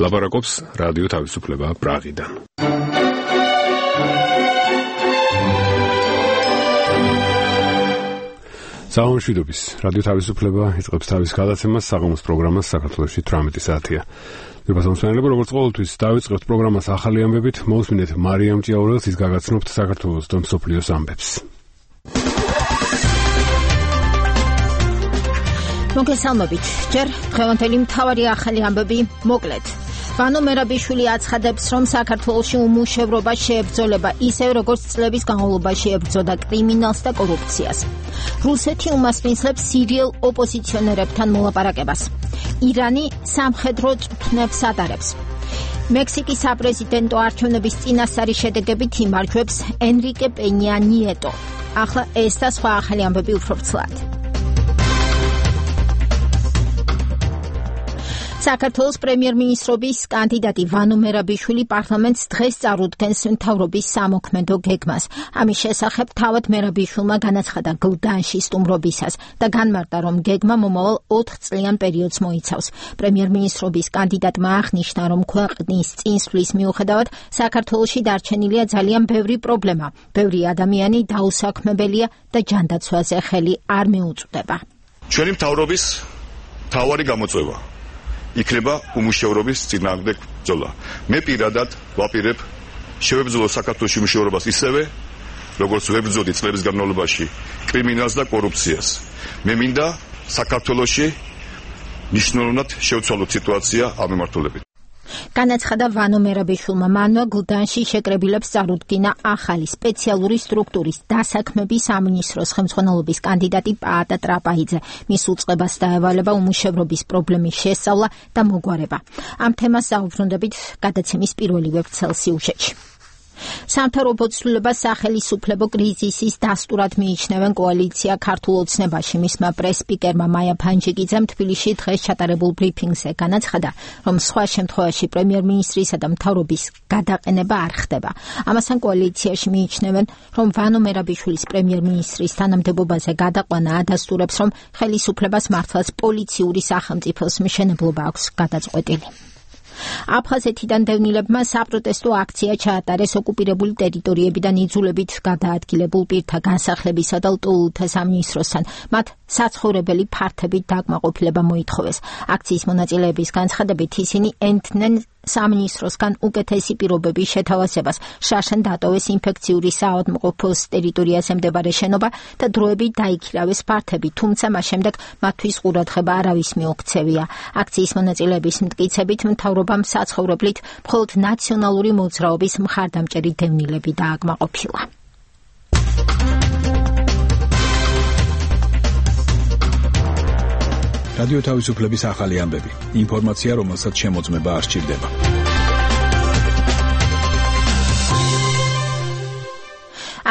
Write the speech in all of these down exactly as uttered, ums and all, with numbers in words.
ლაპარაკობს რადიო თავისუფლება პრაღიდან. საომშვიდობის რადიო თავისუფლება იწყებს თავის გადაცემას საღამოს პროგრამას საქართველოში თვრამეტი საათია. მოგესალმებით, როგორც ყოველთვის დავიწყებთ პროგრამას ახალი ამბებით, მოусმინეთ მარიამ ჭიაურელს, ის გაგაცნობთ საქართველოს და მსოფლიოს ამბებს. მოგესალმებით, ჯერ დღევანდელი მთავარი ახალი ამბები მოკლედ. ვანო მერაბიშვილი აცხადებს, რომ საქართველოში უმუშევრობა შეებრძოლება ისევ როგორც წლების განმავლობაში ებრძოდა კრიმინალს და კორუფციას. რუსეთი უმასპინძლებს სირიელ ოპოზიციონერებთან მოლაპარაკებას. ირანი სამხედრო წვრთნებს ატარებს. მექსიკის საპრეზიდენტო არჩევნების წინასწარი შედეგებით იმარჯვებს ენრიკე პენია ნიეტო. ახლა ეს და სხვა ახალი ამბები უფრო ვრცლად. საქართველოს პრემიერ-მინისტრობის კანდიდატი ვანო მერაბიშვილი პარლამენტს დღეს წარუდგენს მთავრობის სამოქმედო გეგმას. ამის შესახებ თავად მერაბიშვილმა განაცხადა გლდანში სტუმრობისას და განმარტა, რომ გეგმა მომავალ ოთხ წლიან პერიოდს მოიცავს. პრემიერ-მინისტრობის კანდიდატმა აღნიშნა, რომ ქვეყნის წინსვლის მიუხედავად საქართველოში დარჩენილია ძალიან ბევრი პრობლემა. ბევრი ადამიანი დაუსაქმებელია და ჯანდაცვაზე ხელი არ მიუწვდება. ჩვენი მთავრობის მთავარი გამოწვევა იქნება უმუშევრობის წინააღმდეგ ბრძოლა. მე პირადად ვაპირებ შევებრძოლო საქართველოს უმუშევრობას ისევე, როგორც ვებრძოდი წლების განმავლობაში კრიმინალს და კორუფციას. მე მინდა საქართველოში მნიშვნელოვნად შევცვალოთ სიტუაცია ამ მიმართულებით. განაცხადა ვანო მერაბიშვილმა. მანვე გლდანში შეკრებილებს წარუდგინა ახალი სპეციალური სტრუქტურის დასაქმების სამინისტროს ხელმძღვანელობის კანდიდატი პაატა ტრაპაიძე. მის უწყებას დაევალება უმუშევრობის პრობლემის შესწავლა და მოგვარება. ამ თემას საუბრობთ გადაცემის პირველი ვებცელ სიუჟეტში. სამთავრობო ცვლილებას სახელისუფლებო კრიზისის დასტურად მიიჩნევენ კოალიცია ქართულ ოცნებაში. მისმა პრეს-სპიკერმა მაია ფანჯიკიძემ თბილისში დღეს ჩატარებულ ბრიფინგზე განაცხადა, რომ სხვა შემთხვევაში პრემიერ-მინისტრისა და მთავრობის გადაყენება არ ხდება. ამასთან კოალიციაში მიიჩნევენ, რომ ვანო მერაბიშვილის პრემიერ-მინისტრის თანამდებობაზე გადაყვანა ადასტურებს, რომ ხელისუფლებას მართლაც პოლიციური სახელმწიფოს მშენებლობა აქვს გადაწყვეტილი. აფხაზეთიდან დევნილებმა საპროტესტო აქცია ჩაატარეს ოკუპირებული ტერიტორიებიდან იძულებით გადაადგილებულ პირთა განსახლებისა და ლტოლვილთა სამინისტროსთან. მათ საცხოვრებელი ფართებით დაკმაყოფილება მოითხოვეს. აქციის მონაწილეების განცხადებით ისინი ენტნენ სამინისტროსგან უკეთესი პირობების შეთავაზებას. შაშან დატოვეს ინფექციური საავადმყოფოს ტერიტორიაზე მდებარე შენობა და დროებით დაიქირავეს ფართები, თუმცა მას შემდეგ მათთვის ყურადღება არავის მიუქცევია. აქციის მონაწილეების მტკიცებით მთავრობამ საცხოვრებლით მხოლოდ ნაციონალური მოძრაობის მხარდამჭერი დევნილები დააკმაყოფილა. რადიო თავისუფლების ახალი ამბები. ინფორმაცია, რომელსაც შემოწმება არ სჭირდება.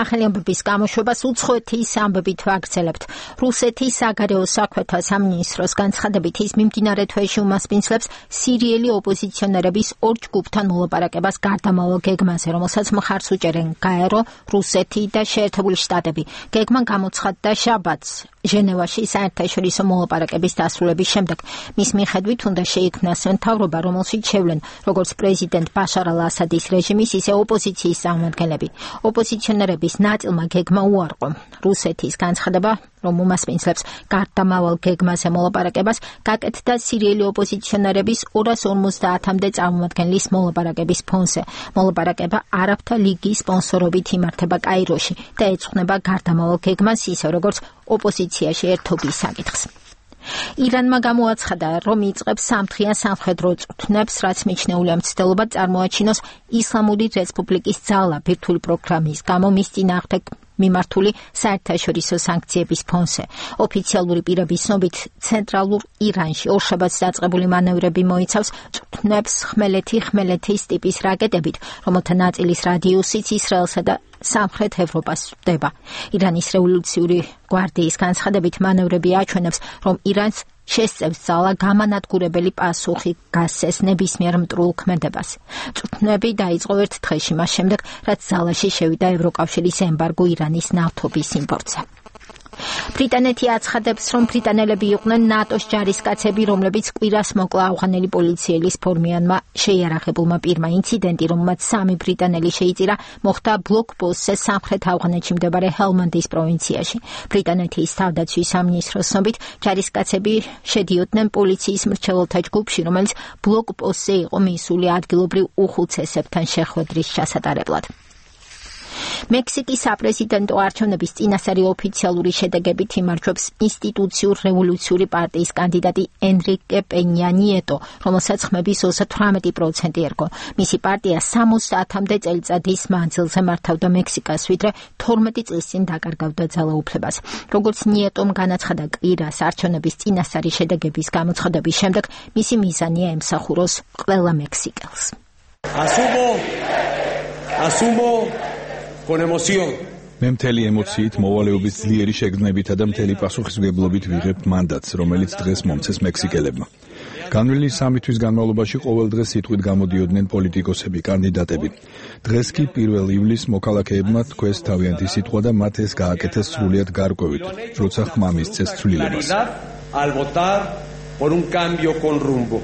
ახალი ამბების გამოშვებას უცხოეთის ამბებით ვაგრძელებთ. რუსეთის საგარეო საქმეთა სამინისტროს განცხადებით ის მიმდინარე თვეში უმასპინძლებს სირიელი ოპოზიციონერების ორ ჯგუფთან მოლაპარაკებას გარდამავალ გეგმაზე, რომელსაც მხარს უჭერენ გაერო, რუსეთი და შეერთებული შტატები. გეგმა გამოცხადდა შაბათს ჟენევაში საერთაშორისო მოლაპარაკების დასრულების შემდეგ. მის მიხედვით უნდა შეიქმნას მთავრობა, რომელშიც შევლენ როგორც პრეზიდენტ ბაშარ ალ-ასადის რეჟიმის, ისე ოპოზიციის წარმომადგენლები. ოპოზიციონერები ნაწილმა გეგმა უარყო. რუსეთის განცხადება, რომ უმასპინძლებს გარდამავალ გეგმაზე მოლაპარაკებას, გაკეთდა სირიელი ოპოზიციონერების ორას ორმოცდაათამდე წარმომადგენლის მოლაპარაკების ფონზე. მოლაპარაკება არაბთა ლიგის სპონსორობით იმართება კაიროში და ეძღვნება გარდამავალ გეგმას, ისე როგორც ოპოზიციაში ერთობის საკითხს. ირანმა გამოაცხადა, რომ იწყებს სამთხიან სამხედრო წვრთნებს, რაც მიჩნეულია მცდელობა წარმოაჩინოს ისლამური რესპუბლიკის ძალა ბირთვული პროგრამის გამო მის წინააღმდეგ მიმართული საერთაშორისო სანქციების ფონზე. ოფიციალური პირების ცნობით, ცენტრალურ ირანში ორშაბათს დაწყებული მანევრები მოიცავს წვრთნებს ხმელეთი ხმელეთის ტიპის რაკეტებით, რომელთა ნაწილის რადიუსიც ისრაელსა და სამხრეთ ევროპას ვდება. ირანის რევოლუციური გვარდიის განცხადებით მანევრები აჩვენებს, რომ ირანს შესწევს ძალა გამანადგურებელი პასუხი გასცეს ნებისმიერ მტრულ ქმედებას. წვრთნები დაიწყო ერთ დღეში მას შემდეგ, რაც ძალაში შევიდა ევროკავშირის ემბარგო ირანის ნავთობის იმპორტზე. ბრიტანეთი აცხადებს, რომ ბრიტანელები იყვნენ ნატოს ჯარისკაცები, რომლებიც კვირას მოკლა ავღანელი პოლიციელის ფორმიანმა შეიარაღებულმა პირმა. ინციდენტი, რომელმაც სამი ბრიტანელი შეიწირა, მოხდა ბლოკპოსტზე სამხრეთ ავღანეთში მდებარე ჰელმანდის პროვინციაში. ბრიტანეთის თავდაცვის სამინისტროს ცნობით, ჯარისკაცები შედიოდნენ პოლიციის მრჩეველთა ჯგუფში, რომელიც ბლოკპოსტზე იყო მისული ადგილობრივ უხუცესებთან შეხვედრის ჩასატარებლად. მექსიკის საპრეზიდენტო არჩევნების წინასწარი ოფიციალური შედეგებით იმარჯვებს ინსტიტუციურ რევოლუციური პარტიის კანდიდატი ენრიკე პენია ნიეტო, რომელსაც ხმების ოცდაოთხ პროცენტი ერგო. მისი პარტია სამოცდაათამდე წელიწადის მანძილზე მართავდა მექსიკას, ვიდრე თორმეტი წლის წინ დაკარგავდა ძალაუფლებას. როგორც ნიეტომ განაცხადა კვირას არჩევნების წინასწარი შედეგების გამოცხადების შემდეგ, მისი მიზანია ემსახუროს ყველა მექსიკელს. Asumo, asumo con emoción. მე მთელი ემოციით, მოვალეობის ძლიერი შეგრძნებითა და მთელი პასუხისმგებლობით ვიღებ მანდატს, რომელიც დღეს მომცეს მექსიკელებმა. განვლილი სამი თვის განმავლობაში ყოველ დღეს სიტყვით გამოდიოდნენ პოლიტიკოსები, კანდიდატები. დღეს კი პირველ ივლისს მოქალაქეებმა თქვეს თავიანთი სიტყვა და მათ ეს გააკეთეს სრულიად გარკვევით, როცა ხმა მისცეს ცვლილებას. Al votar por un cambio con rumbo.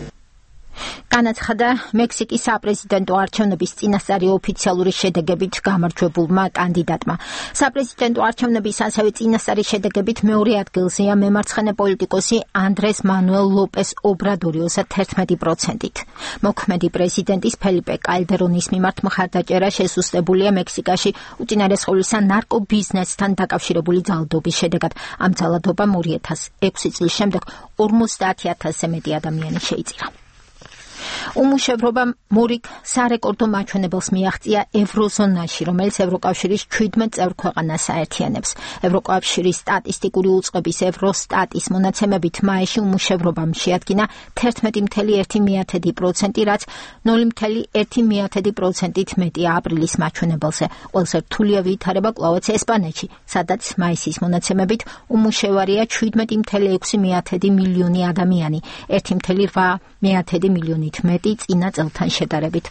განაცხადა მექსიკის საპრეზიდენტო არჩევნების წინასწარი ოფიციალური შედეგებით გამარჯვებულმა კანდიდატმა. საპრეზიდენტო არჩევნების ასევე წინასწარი შედეგებით მეორე ადგილზეა მემარცხენე პოლიტიკოსი ანდრეს მანუელ ლოპეს ობრადორი ოცდაერთი პროცენტით. მოქმედი პრეზიდენტის ფელიპე კალდერონის მიმართ მხარდაჭერა შესუსტებულია მექსიკაში უწინარეს ყოვლისა ნარკობიზნესთან დაკავშირებული ძალადობის შედეგად. ამ ძალადობამ ორი ათას ექვსი წლის შემდეგ ორმოცდაათი ათასზე მეტი ადამიანი შეიწირა. უმუშევრობამ მორიგ სარეკორდო მაჩვენებელს მიაღწია ევროზონაში, რომელიც ევროკავშირის შვიდმეტ წევრ ქვეყანას აერთიანებს. ევროკავშირის სტატისტიკური უწყების ევროსტატის მონაცემებით მაისში უმუშევრობამ შეადგინა თერთმეტი კoma ერთი პროცენტი, რაც ნული კoma ერთი პროცენტით მეტია აპრილის მაჩვენებელზე. ყველაზე რთულია ვითარება კვლავაც ესპანეთში, სადაც მაისის მონაცემებით უმუშევარია შვიდმეტი კoma ექვსი მილიონი ადამიანი, ერთი კoma რვა მილიონით მეტი წინა წელთან შედარებით.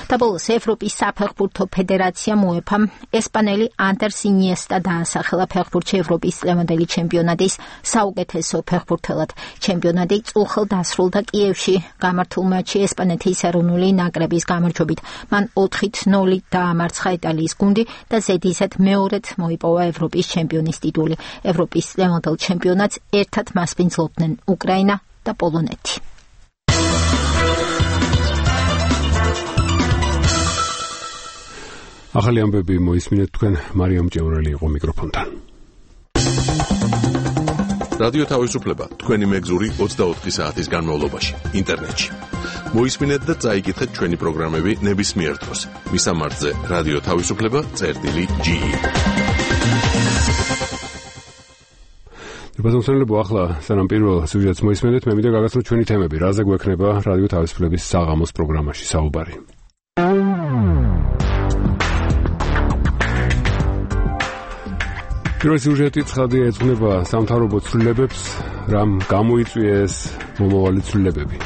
და ბოლოს ევროპის საფეხბურთო ფედერაციამ უეფამ ესპანელი ანდერს ინიესტა დაასახელა ფეხბურთში ევროპის წლევანდელი ჩემპიონატის საუკეთესო ფეხბურთელად. ჩემპიონატი წუხელ დასრულდა კიევში გამართულ მატჩში ესპანეთის ეროვნული ნაკრების გამარჯვებით. მან ოთხი ნული დაამარცხა იტალიის გუნდი და ზედიზედ მეორედ მოიპოვა ევროპის ჩემპიონის ტიტული. ევროპის წლევანდელ ჩემპიონატს ერთად მასპინძლობდნენ უკრაინა და პოლონეთი. ახალი ამბები მოისმინეთ თქვენ მარიამ ჭევრელი იყო მიკროფონთან. რადიო თავისუფლება თქვენი მეგზური ოცდაოთხი საათის განმავლობაში ინტერნეტში. მოისმინეთ და წაიკითხეთ ჩვენი პროგრამები ნებისმიერ დროს. მისამართზე რადიო თავისუფლება წერტილი ჯი. ბაზონსონლებო ახლა სანამ პირველ სიუჟეტს მოისმენთ, მე მინდა გაგაცნოთ ჩვენი თემები, რაზე გვექნება რადიო თავისუფლების საღამოს პროგრამაში საუბარი. პირველი სიუჟეტი ცხადია ეძღვნება სამთავრობო ცვლილებებს, რამ გამოიწვიეს მომავალი ცვლილებები.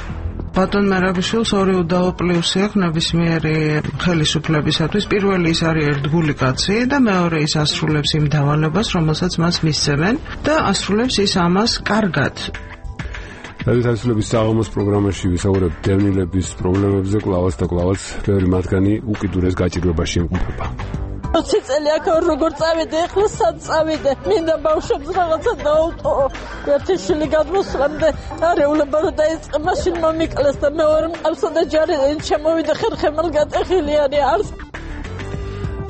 ბატონ მერაბიშვილს ორი უდაო პლუსი აქვს ნებისმიერი ხელისუფლებისათვის. პირველი ის არის ერთგული კაცი და მეორე ის ასრულებს იმ დავალებას, რომელსაც მას მისცემენ და ასრულებს ის ამას კარგად. რადიო თავისუფლების საღამოს პროგრამაში ვისაუბრებთ დევნილების პრობლემებზე, კლავაც და კლავაც ბევრი მათგანი უკიდურეს გაჭირვებაში იმყოფება. ოცი წელი აქ როგორ წავიდე, ახლა სად წავიდე? მინდა ბავშვებს რაღაცა დაუტოვო. ერთი შვილი გადმოსვლამდე არეულება რომ დაიწყე, მაშინ მომიკლეს და მეორე მყავსა და ჯარი შემოვიდა ხერხემალ გატეხილი არის არს.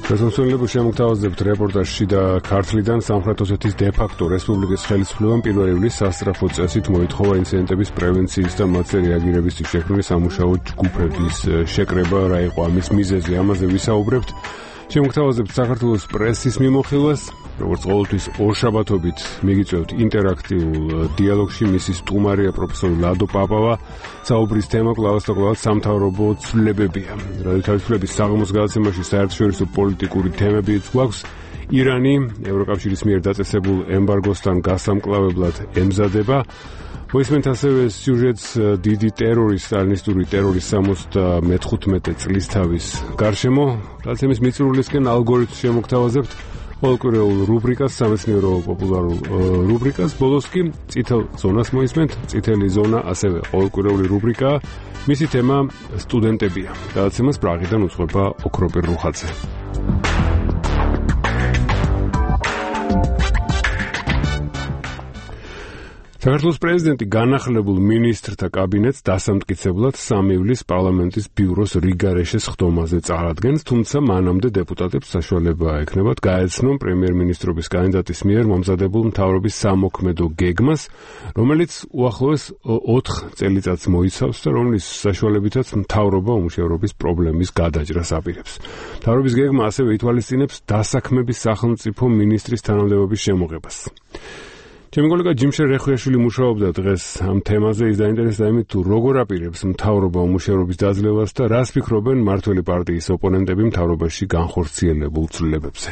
ბაზონსონლებო შემოგთავაზებთ რეპორტაჟში და ქართლიდან სამხრეთ ოსეთის დე-ფაქტო რესპუბლიკის ხელისუფლებამ პირველ ივლისს სასწრაფო წესით მოითხოვა ინციდენტების პრევენციის და მათზე რეაგირებისთვის შექმნილი სამუშაო ჯგუფების შეკრება, რა იყო ამის მიზეზი, ამაზე ვისაუბრებთ. შემოგთავაზებთ საქართველოს პრესის მიმოხილვას, როგორც ყოველთვის ორშაბათობით მიგიწევთ ინტერაქტიულ დიალოგში, მისი სტუმარია პროფესორი ლადო პაპავა. საუბრის თემა კლავაც და კლავაც სამთავრობო ცვლილებებია. რადიო თავისუფლების საღამოს გადაცემაში საერთაშორისო პოლიტიკური თემებიც გვაქვს. ირანი ევროკავშირის მიერ დაწესებულ ემბარგოსთან გასამკლავებლად ემზადება. მოისმენთ ასევე სიუჟეტს დიდი ტერორის, სტალინისტური ტერორის სამოცდამეხუთმეტე წლისთავის გარშემო. დაცემის მიწურულისკენ ალგორითმს შემოგთავაზებთ. ყოველკვირეულ რუბრიკას, სამეცნიერო პოპულარულ რუბრიკას, ბოლოს კი წითელ ზონას მოისმენთ. წითელი ზონა ასევე ყოველკვირეული რუბრიკაა. მისი თემა სტუდენტებია. გადაცემას პრაღიდან უძღვება ოქროპირ რუხაძე. საქართველოს პრეზიდენტი განახლებულ მინისტრთა კაბინეტს დასამტკიცებლად სამი ივლის პარლამენტის ბიუროს რიგარეშეს ხდომაზე წარადგენს, თუმცა მანამდე დეპუტატებს საშუალება ექნებათ გაეცნონ პრემიერ-მინისტრობის კანდიდატის მიერ მომზადებულ მთავრობის სამოქმედო გეგმას, რომელიც უახლოეს ოთხ წელიწადს მოიცავს და რომლის საშუალებითაც მთავრობა უმუშევრობის პრობლემის გადაჭრას აპირებს. მთავრობის გეგმა ასევე ითვალისწინებს დასაქმების სახელმწიფო მინისტრის თანამდებობის შემოღებას. ჩემი კოლეგა ჯიმშერ რეხუიაშვილი მუშაობდა დღეს ამ თემაზე, ის დაინტერესდა იმით, თუ როგორ აპირებს მთავრობა უმუშევრობის დაძლევას და რას ფიქრობენ მმართველი პარტიის ოპონენტები მთავრობაში განხორციელებულ ცვლილებებზე.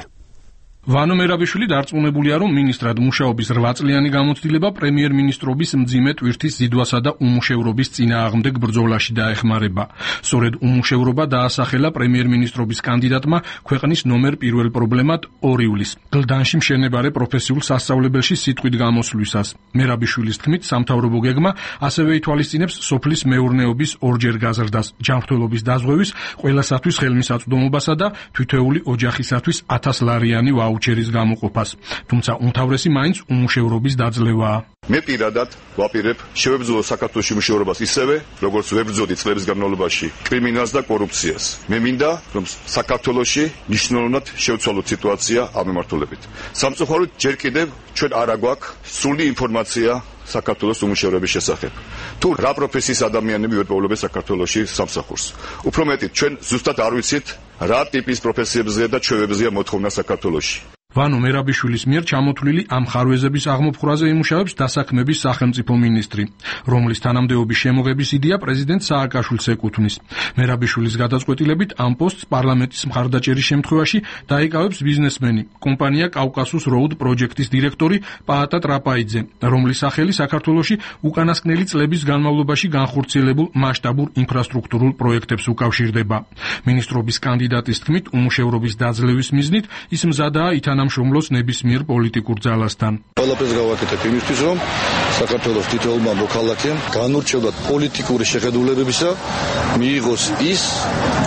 ვანო მერაბიშვილი დარწმუნებულია, რომ მინისტრად მუშაობის რვა წლიანი გამოცდილება პრემიერ-მინისტრობის მძიმე ტვირთის ზიდვასა და უმუშევრობის წინააღმდეგ ბრძოლაში დაეხმარება. სწორედ უმუშევრობა დაასახელა პრემიერ-მინისტრობის კანდიდატმა ქვეყნის ნომერ პირველ პრობლემად ორ ივლის, გლდანში მშენებარე პროფესიულ სასწავლებელში სიტყვით გამოსვლისას. მერაბიშვილის თქმით, სამთავრობო გეგმა ასევე ითვალისწინებს სოფლის მეურნეობის ორჯერ გაზრდას, ჯანმრთელობის დაზღვევის, ყველასათვის ხელმისაწვდომობასა და თითოეული ოჯახისათვის ათასლარიანი ვაუჩერის გამოყოფას. თუმცა უმთავრესი მაინც უმუშევრობის დაძლევაა. მე პირადად ვაპირებ შევებრძოლო საქართველოს უმუშევრობას ისევე, როგორც ვებრძოდი წლების განმავლობაში კრიმინალს და კორუფციას. მე მინდა, რომ საქართველოში მნიშვნელოვნად შევცვალოთ სიტუაცია ამ მიმართულებით. სამწუხაროდ ჯერ კიდევ ჩვენ არ აგვაქვს სრული ინფორმაცია საქართველოს უმუშევრობის შესახებ. თუ რა პროფესიის ადამიანები ვერპოვლებენ საქართველოში სამსახურს. უფრო მეტი, ჩვენ ზუსტად არ ვიცით, რა ტიპის პროფესიებზეა და ჩვევებზეა მოთხოვნა საქართველოში. ვანო მერაბიშვილის მიერ ჩამოთვლილი ამ ხარვეზების აღმოფხვრაზე იმუშავებს დასაქმების სახელმწიფო მინისტრი, რომლის თანამდებობის შემოღების იდეა პრეზიდენტ სააკაშვილს ეკუთვნის. მერაბიშვილის გადაწყვეტილებით ამ პოსტს პარლამენტის მხარდაჭერის შემთხვევაში დაიკავებს ბიზნესმენი, კომპანია კავკასუს როუდ პროჯექტის დირექტორი პაატა ტრაპაიძე, რომლის სახელი საქართველოში უკანასკნელი წლების განმავლობაში განხორციელებულ მასშტაბურ ინფრასტრუქტურულ პროექტებს უკავშირდება. მინისტრობის კანდიდატის თქმით, უმუშევრობის დაძლევის მიზნით ის მზადაა ითანამშრომლოს ნებისმიერ პოლიტიკურ ძალასთან. ყველაფერს გავაკეთებ იმისთვის, რომ საქართველოს თითოეულმა მოქალაქემ განურჩევლად პოლიტიკური შეხედულებებისა მიიღოს ის,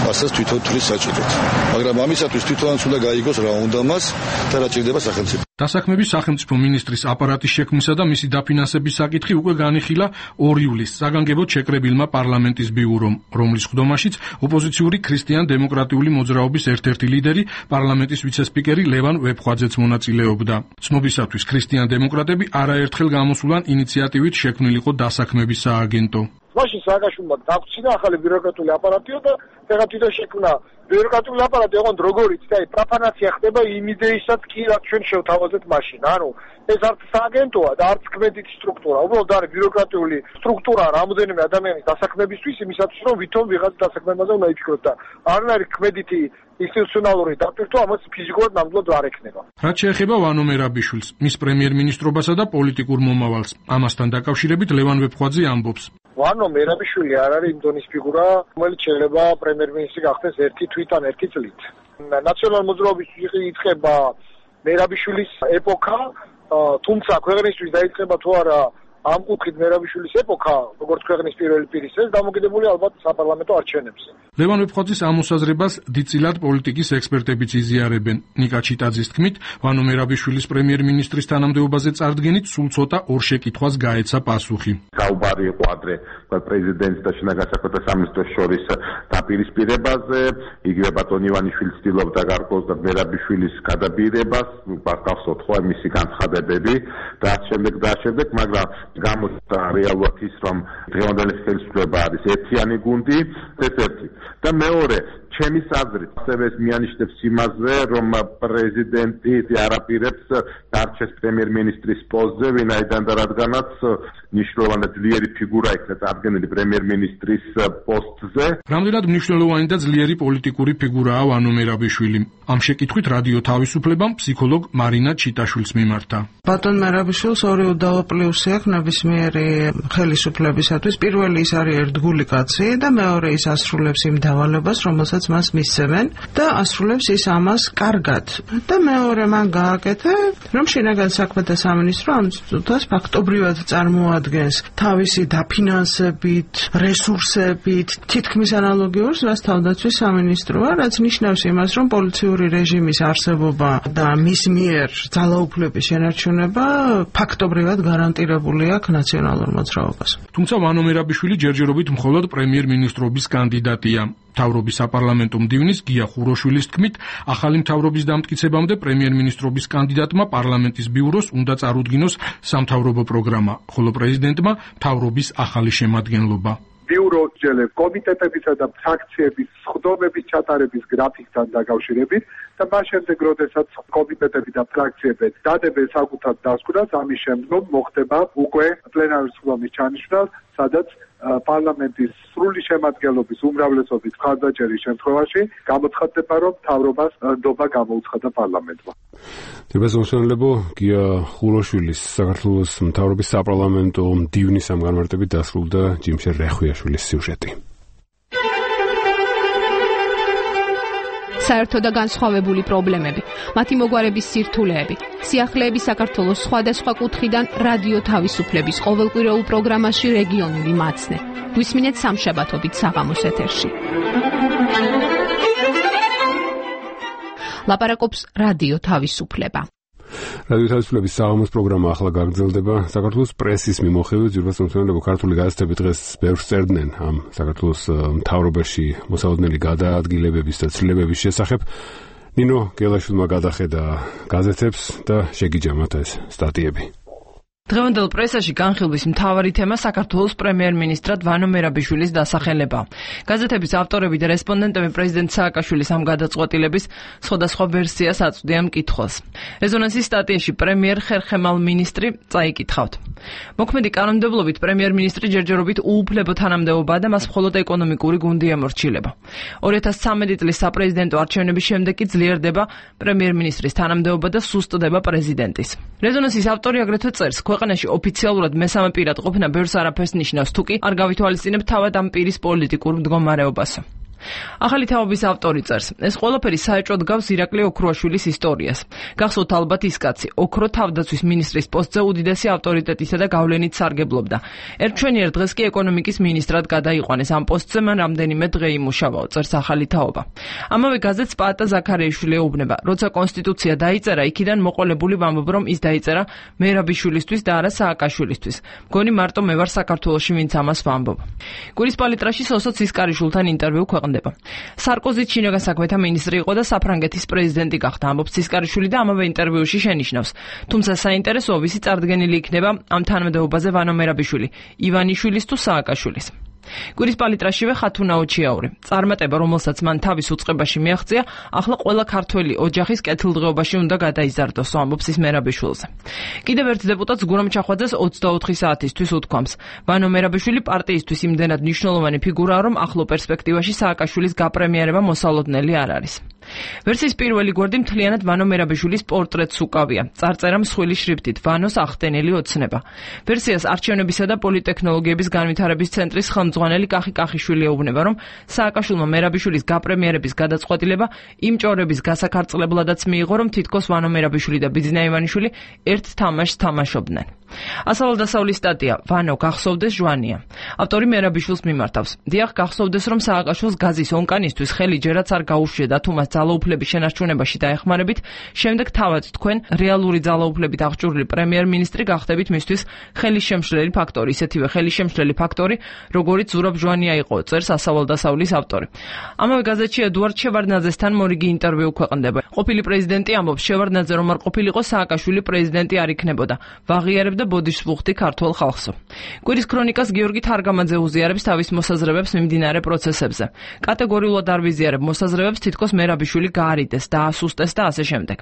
რასაც თვითონ თვლის საჭიროდ. მაგრამ ამისათვის თვითონაც უნდა გაიგოს რა უნდა მას და რა ჭირდება სახელმწიფო. დასაქმების სახელმწიფო მინისტრის აპარატის შექმნისა და მისი დაფინანსების საკითხი უკვე განიხილა ორ ივლის საგანგებოდ შეკრებილმა პარლამენტის ბიურომ, რომლის ხდომაშიც ოპოზიციური ქრისტიან-დემოკრატიული მოძრაობის ერთ-ერთი ლიდერი, პარლამენტის ვიცე-სპიკერი ლევან ვეფხვაძეც მონაწილეობდა. ცნობისათვის ქრისტიან-დემოკრატები არაერთხელ გამოსულან ინიციატივით შექმნილიყო დასაქმების სააგენტო. მაშინ სააკაშვილმა დაგვრჩინა ახალი ბიუროკრატიული აპარატიო და ფეხად თვითონ შექმნა ბიუროკრატიული აპარატი, ოღონდ როგორიც და აი პროფანაცია ხდება იმ იდეისაც კი რაც ჩვენ შევთავაზეთ მაშინ. ანუ ეს არც სააგენტოა და არც კმედითი სტრუქტურა, უბრალოდ არის ბიუროკრატიული სტრუქტურა რამოდენიმე ადამიანის დასაქმებისთვის, იმისათვის რომ ვითომ ვიღაც დასაქმებაზე უნდა იფიქროთ და არ არის კმედითი ინსტიტუციონალური დაპირთვა, ამას ფიზიკურად ნამდვილად არ ექნება. რაც შეეხება ვანო მერაბიშვილს, მის პრემიერ-მინისტრობასა და პოლიტიკურ მომავალს, ამასთან დაკავშირებით ლევან ვეფხვაძე ამბობს. ვანო მერაბიშვილი არ არის იმ დონის ფიგურა, რომელიც შეიძლება პრემიერ-მინისტრი გახდეს ერთი თვით ან ერთი წლით. ნაციონალურ მოძრაობის იწყება მერაბიშვილის ეპოქა, თუმცა ქვეყნისთვის დაიწყება თუ არა ამ კუთხით მერაბიშვილის ეპოქა, როგორც ქვეყნის პირველი პირის, ეს დამოკიდებული ალბათ საპარლამენტო არჩევნებზე. ლევან ვეფხვაძის ამოსაზრებას დიდწილად პოლიტიკის ექსპერტებიც იზიარებენ. ნიკა ჩიტაძის თქმით, ვანო მერაბიშვილის პრემიერ-მინისტრის თანამდებობაზე წარდგენით სულ ცოტა ორ შეკითხვას გაეცა პასუხი. საუბარი იყო ადრე პრეზიდენტს და შინაგან საქმეთა სამინისტროს შორის დაპირისპირებაზე, იგივე ბატონ ივანიშვილი ცდილობდა გარკვეულ და მერაბიშვილის გადაბირებას, გახსოვთ ხო მისი განცხადებები და ამ შემდეგ და ამ შემდეგ, მაგრამ გამოჩნდა რეალურად ის, რომ დღევანდელი ხელისუფლება არის ერთიანი გუნდი, ეს ერთი. და მეორე, ჩემი აზრით, ასევე მიანიშნებს იმაზე, რომ პრეზიდენტი არაპირებს დარჩეს პრემიერ-მინისტრის პოსტზე, ვინაიდან და რადგანაც მნიშვნელოვანი ძლიერი ფიგურა იქნა წარდგენილი პრემიერ-მინისტრის პოსტზე. რამდენად მნიშვნელოვანი და ძლიერი პოლიტიკური ფიგურაა ვანო მერაბიშვილი? ამ შეკითხვით რადიო თავისუფლებამ ფსიქოლოგ მარინა ჩიტაშვილს მიმართა. ბატონ მერაბიშვილს ორი უდაო პლუსი აქვს ნებისმიერი ხელისუფლებისათვის პირველი ის არის ერთგული კაცი და მეორე ის ასრულებს იმ დავალებას, რომელსაც მას მისცემენ და ასრულებს ის ამას კარგად. და მეორე მან გააკეთა, რომ შინაგან საქმეთა სამინისტრო ამ წუთას ფაქტობრივად წარმოადგენს თავისი დაფინანსებით, რესურსებით, თითქმის ანალოგიურს, რაც თავდაცვის სამინისტროა, რაც ნიშნავს იმას, რომ პოლიციური რეჟიმის არსებობა და მის მიერ ძალაუფლების შენარჩუნება ფაქტობრივად გარანტირებული აქვს ნაციონალურ მოძრაობას. თუმცა ვანო მერაბიშვილი ჯერჯერობით მხოლოდ პრემიერ-მინისტრობის კანდიდატია. მთავრობის საპარლამენტო მდივნის გია ხუროშვილის თქმით, ახალი მთავრობის დამტკიცებამდე პრემიერ-მინისტრობის კანდიდატმა პარლამენტის ბიუროს უნდა წარუდგინოს სამთავრობო პროგრამა, ხოლო პრეზიდენტმა მთავრობის ახალი შემადგენლობა. ბიურო ჯელებ კომიტეტებისა და ფრაქციების სხდომების ჩატარების გრაფიკთან დაკავშირებით და მას შემდეგ, როდესაც კომიტეტები და ფრაქციები დადებენ საკუთარ დასკვნას, ამის შემდგომ მოხდება უკვე პლენარული სხდომის ჩანიშვნა, სადაც პარლამენტის სრული შემადგენლობის უმრავლესობის მხარდაჭერის შემთხვევაში გამოცხადდება, რომ მთავრობას ნდობა გამოუცხადა პარლამენტმა. დებასმოსვენლებო გია ხუროშვილის საქართველოს მთავრობის საპარლამენტო მდივნის ამ განმარტებით დასრულდა ჯიმშერ რეხვიაშვილის სიუჟეტი. საერთო და განსხვავებული პრობლემები, მათი მოგვარების სირთულეები, სიახლეები საქართველოს სხვადასხვა კუთხიდან რადიო თავისუფლების ყოველკვირეულ პროგრამაში რეგიონული მაცნე. გვისმინეთ სამშაბათობით საღამოს ეთერში. ლაპარაკობს რადიო თავისუფლება. რადიო თავისუფლების საღამოს პროგრამა ახლა გაგრძელდება. საქართველოს პრესის მიმოხილვით ძვირფასმომცემლები ქართული გაზეთები დღეს ბევრს წერდნენ ამ საქართველოს მთავრობაში მოსალოდნელი გადაადგილებების და ცვლილებების შესახებ. ნინო გელაშვილმა გადახედა გაზეთებს და შეგიჯა მათ ეს სტატიები. დღევანდელ პრესაში განხილვის მთავარი თემა საქართველოს პრემიერ-მინისტრად ვანო მერაბიშვილის დასახელება. გაზეთების ავტორები და რესპონდენტები პრეზიდენტ სააკაშვილის ამ გადაწყვეტილების სხვადასხვა ვერსიას აწვდიან მკითხველს. რეზონანსის სტატიაში პრემიერ ხერხემალ მინისტრი წაიკითხავთ. მოქმედი კანონმდებლობით პრემიერ-მინისტრი ჯერჯერობით უუფლებო თანამდებობაა და მას მხოლოდ ეკონომიკური გუნდი ემორჩილება. ორი ათას ცხრამეტი წლის საპრეზიდენტო არჩევნების შემდეგ კი ძლიერდება პრემიერ-მინისტრის თანამდებობა და სუსტდება პრეზიდენტის. რეზონანსის ავტორი აგრეთვე წერს, ქვეყანაში ოფიციალურად მესამე პირად ყოფნა ბევრს არაფერს ნიშნავს, თუკი არ გავითვალისწინებთ თავად ამ პირის პოლიტიკურ მდგომარეობას. ახალი თაობის ავტორი წერს, ეს ყველაფერი საეჭვოდ გავს ირაკლი ოქროაშვილის ისტორიას. გახსოვთ ალბათ ის კაცი, ოქრო თავდაცვის მინისტრის პოსტზე უდიდესი ავტორიტეტისა და გავლენით სარგებლობდა. ერთჩვენიერ დღეს კი ეკონომიკის მინისტრად გადაიყვანეს. ამ პოსტზე მან რამდენიმე დღე იმუშავა, წერს ახალი თაობა. ამავე გაზეთს პაატა ზაქარიაშვილი ეუბნება, როცა კონსტიტუცია დაიწერა, იქიდან მოყოლებული ვამბობ, რომ ის დაიწერა მერაბიშვილისთვის და არა სააკაშვილისთვის. მგონი მარტო მე ვარ საქართველოში, ვინც ამას ვამბობ. კვირის პალიტრაში სოსო ცისკარიშვილთან ინტერვიუ ქვეყნდება. სარკოზი შინაგან საქმეთა მინისტრი იყო და საფრანგეთის პრეზიდენტი გახდა, ამბობს ცისკარიშვილი და ამავე ინტერვიუში შენიშნავს. თუმცა საინტერესოა, ვისი წარდგენილი იქნება ამ თანამდებობაზე ვანო მერაბიშვილი, ივანიშვილის თუ სააკაშვილის. კვირის პალიტრაშივე ხათუნა ოჩიაური. წარმატება, რომელსაც მან თავის უწყებაში მიაღწია, ახლა ყველა ქართველი ოჯახის კეთილდღეობაში უნდა გადაიზარდოს, ამბობს ის მერაბიშვილზე. კიდევ ერთ დეპუტატს გურამ ჩახვაძეს ოცდაოთხი საათისთვის უთქვამს. ვანო მერაბიშვილი პარტიისთვის იმდენად მნიშვნელოვანი ფიგურაა, რომ ახლო პერსპექტივაში სააკაშვილის გაპრემიერება მოსალოდნელი არ არის. ვერსიის პირველი გვერდი მთლიანად ვანო მერაბიშვილის პორტრეტს უკავია. წარწერა მსხვილი შრიფტით, ვანოს ახტენელი ოცნება. ვერსიას არჩევნებისა და პოლიტექნოლოგიების განვითარების ცენტრის ხელმძღვანელი კახი კახიშვილი ეუბნება, რომ სააკაშვილმა მერაბიშვილის გაპრემიერების გადაწყვეტილება იმ ჭორების გასაქარწყლებლადაც მიიღო, რომ თითქოს ვანო მერაბიშვილი და ბიძინა ივანიშვილი ერთ თამაშს თამაშობდნენ. ასავალდასავლის სტატია ვანო გახსოვდეს ჟვანია. ავტორი მერაბიშვილს მიმართავს. დიახ, გახსოვდეს, რომ სააკაშვილს გაზის ონკანისთვის ხელი ჯერაც არ გაუშვია და თუ მას ძალაუფლების შენარჩუნებაში დაეხმარებით, შემდეგ თავად თქვენ რეალური ძალაუფლებით აღჭურვილი პრემიერ-მინისტრი გახდებით მისთვის ხელისშემშლელი ფაქტორი, ისეთივე ხელისშემშლელი ფაქტორი, როგორიც ზურაბ ჟვანია იყო, წერს ასავალდასავლის ავტორი. ამავე გაზეთში ედუარდ შევარდნაძესთან მორიგი ინტერვიუ ქვეყნდება. ყოფილი პრეზიდენტი ამბობს, შევარდნაძე რომ არ ყოფილიყო, სააკაშვილი პრეზიდენტი არ იქნებოდა. ვაღიარებდა ბოდიშს ვუხტი ქართულ ხალხსო. კვირის ქრონიკას გიორგი თარგამაძე უზიარებს თავის მოსაზრებებს მიმდინარე პროცესებზე. კატეგორიულად არ ვიზიარებ მოსაზრებებს, თითქოს მერაბიშვილი გაარიდეს, დაასუსტეს და ასე შემდეგ.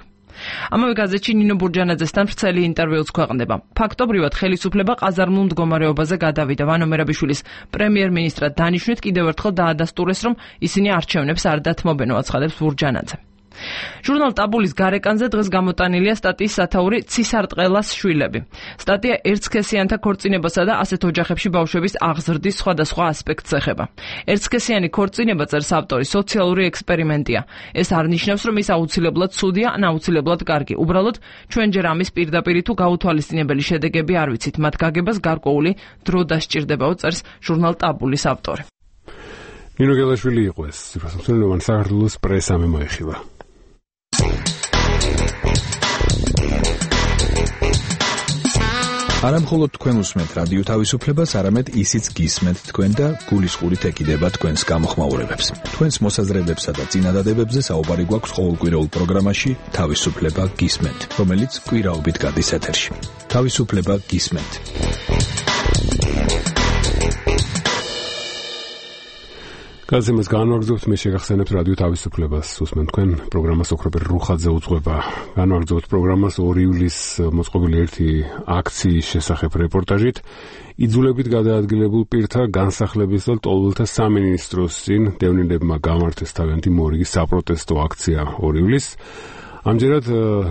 ამავე გაზეთში ნინო ბურჯანაძესთან ვრცელი ინტერვიუც ქვეყნდება. ფაქტობრივად ხელისუფლება ყაზარმულ მდგომარეობაზე გადავიდა. ვანო მერაბიშვილის პრემიერ-მინისტრად დანიშვნით კიდევ ერთხელ დაადასტურეს, რომ ისინი არჩევნებს არ დათმობენ, აცხადებს ბურჯანაძე. ჟურნალ ტაბულის გარეკანზე დღეს გამოტანილია სტატიის სათაური ცისარტყელას შვილები. სტატია ერთსქესიანთა ქორწინებასა და ასეთ ოჯახებში ბავშვების აღზრდის სხვადასხვა ასპექტს ეხება. ერთსქესიანი ქორწინება, წერს ავტორი, სოციალური ექსპერიმენტია. ეს არ ნიშნავს, რომ ის აუცილებლად ცუდია ან აუცილებლად კარგი. უბრალოდ ჩვენ ჯერ ამის პირდაპირ თუ გაუთვალისწინებელი შედეგები არ ვიცით. მათ გაგებას გარკვეული დრო დასჭირდებაო, წერს ჟურნალ ტაბულის ავტორი. ნინო გელაშვილი იყო ეს ციფროსამსახურებთან საქართველოს პრესამ მოეხილა. არა მხოლოდ თქვენ უსმენთ რადიო თავისუფლებას, არამედ ისიც გისმენთ თქვენ და გულისხმობით ეკიდება თქვენს გამოხმაურებებს. თქვენს მოსაზრებებსა და წინადადებებზე საუბარი გვაქვს ყოველკვირეულ პროგრამაში თავისუფლება გისმენთ, რომელიც კვირაობით გადის ეთერში. თავისუფლება გისმენთ. გაზემას განვაგრძობთ, მე შეგახსენებთ რადიო თავისუფლებას. უსმენთ თქვენ პროგრამას ოქროპერ რუხაძე უძღვება. განვაგრძობთ პროგრამას ორი ივლისს მოწყობილი ერთი აქციის შესახებ რეპორტაჟით. იძულებით გადაადგილებულ პირთა განსახლების და ტოლვილთა სამინისტროს წინ დევნილებმა გამართეს თავიანთი მორიგი საპროტესტო აქცია ორი ივლისს. ამჯერად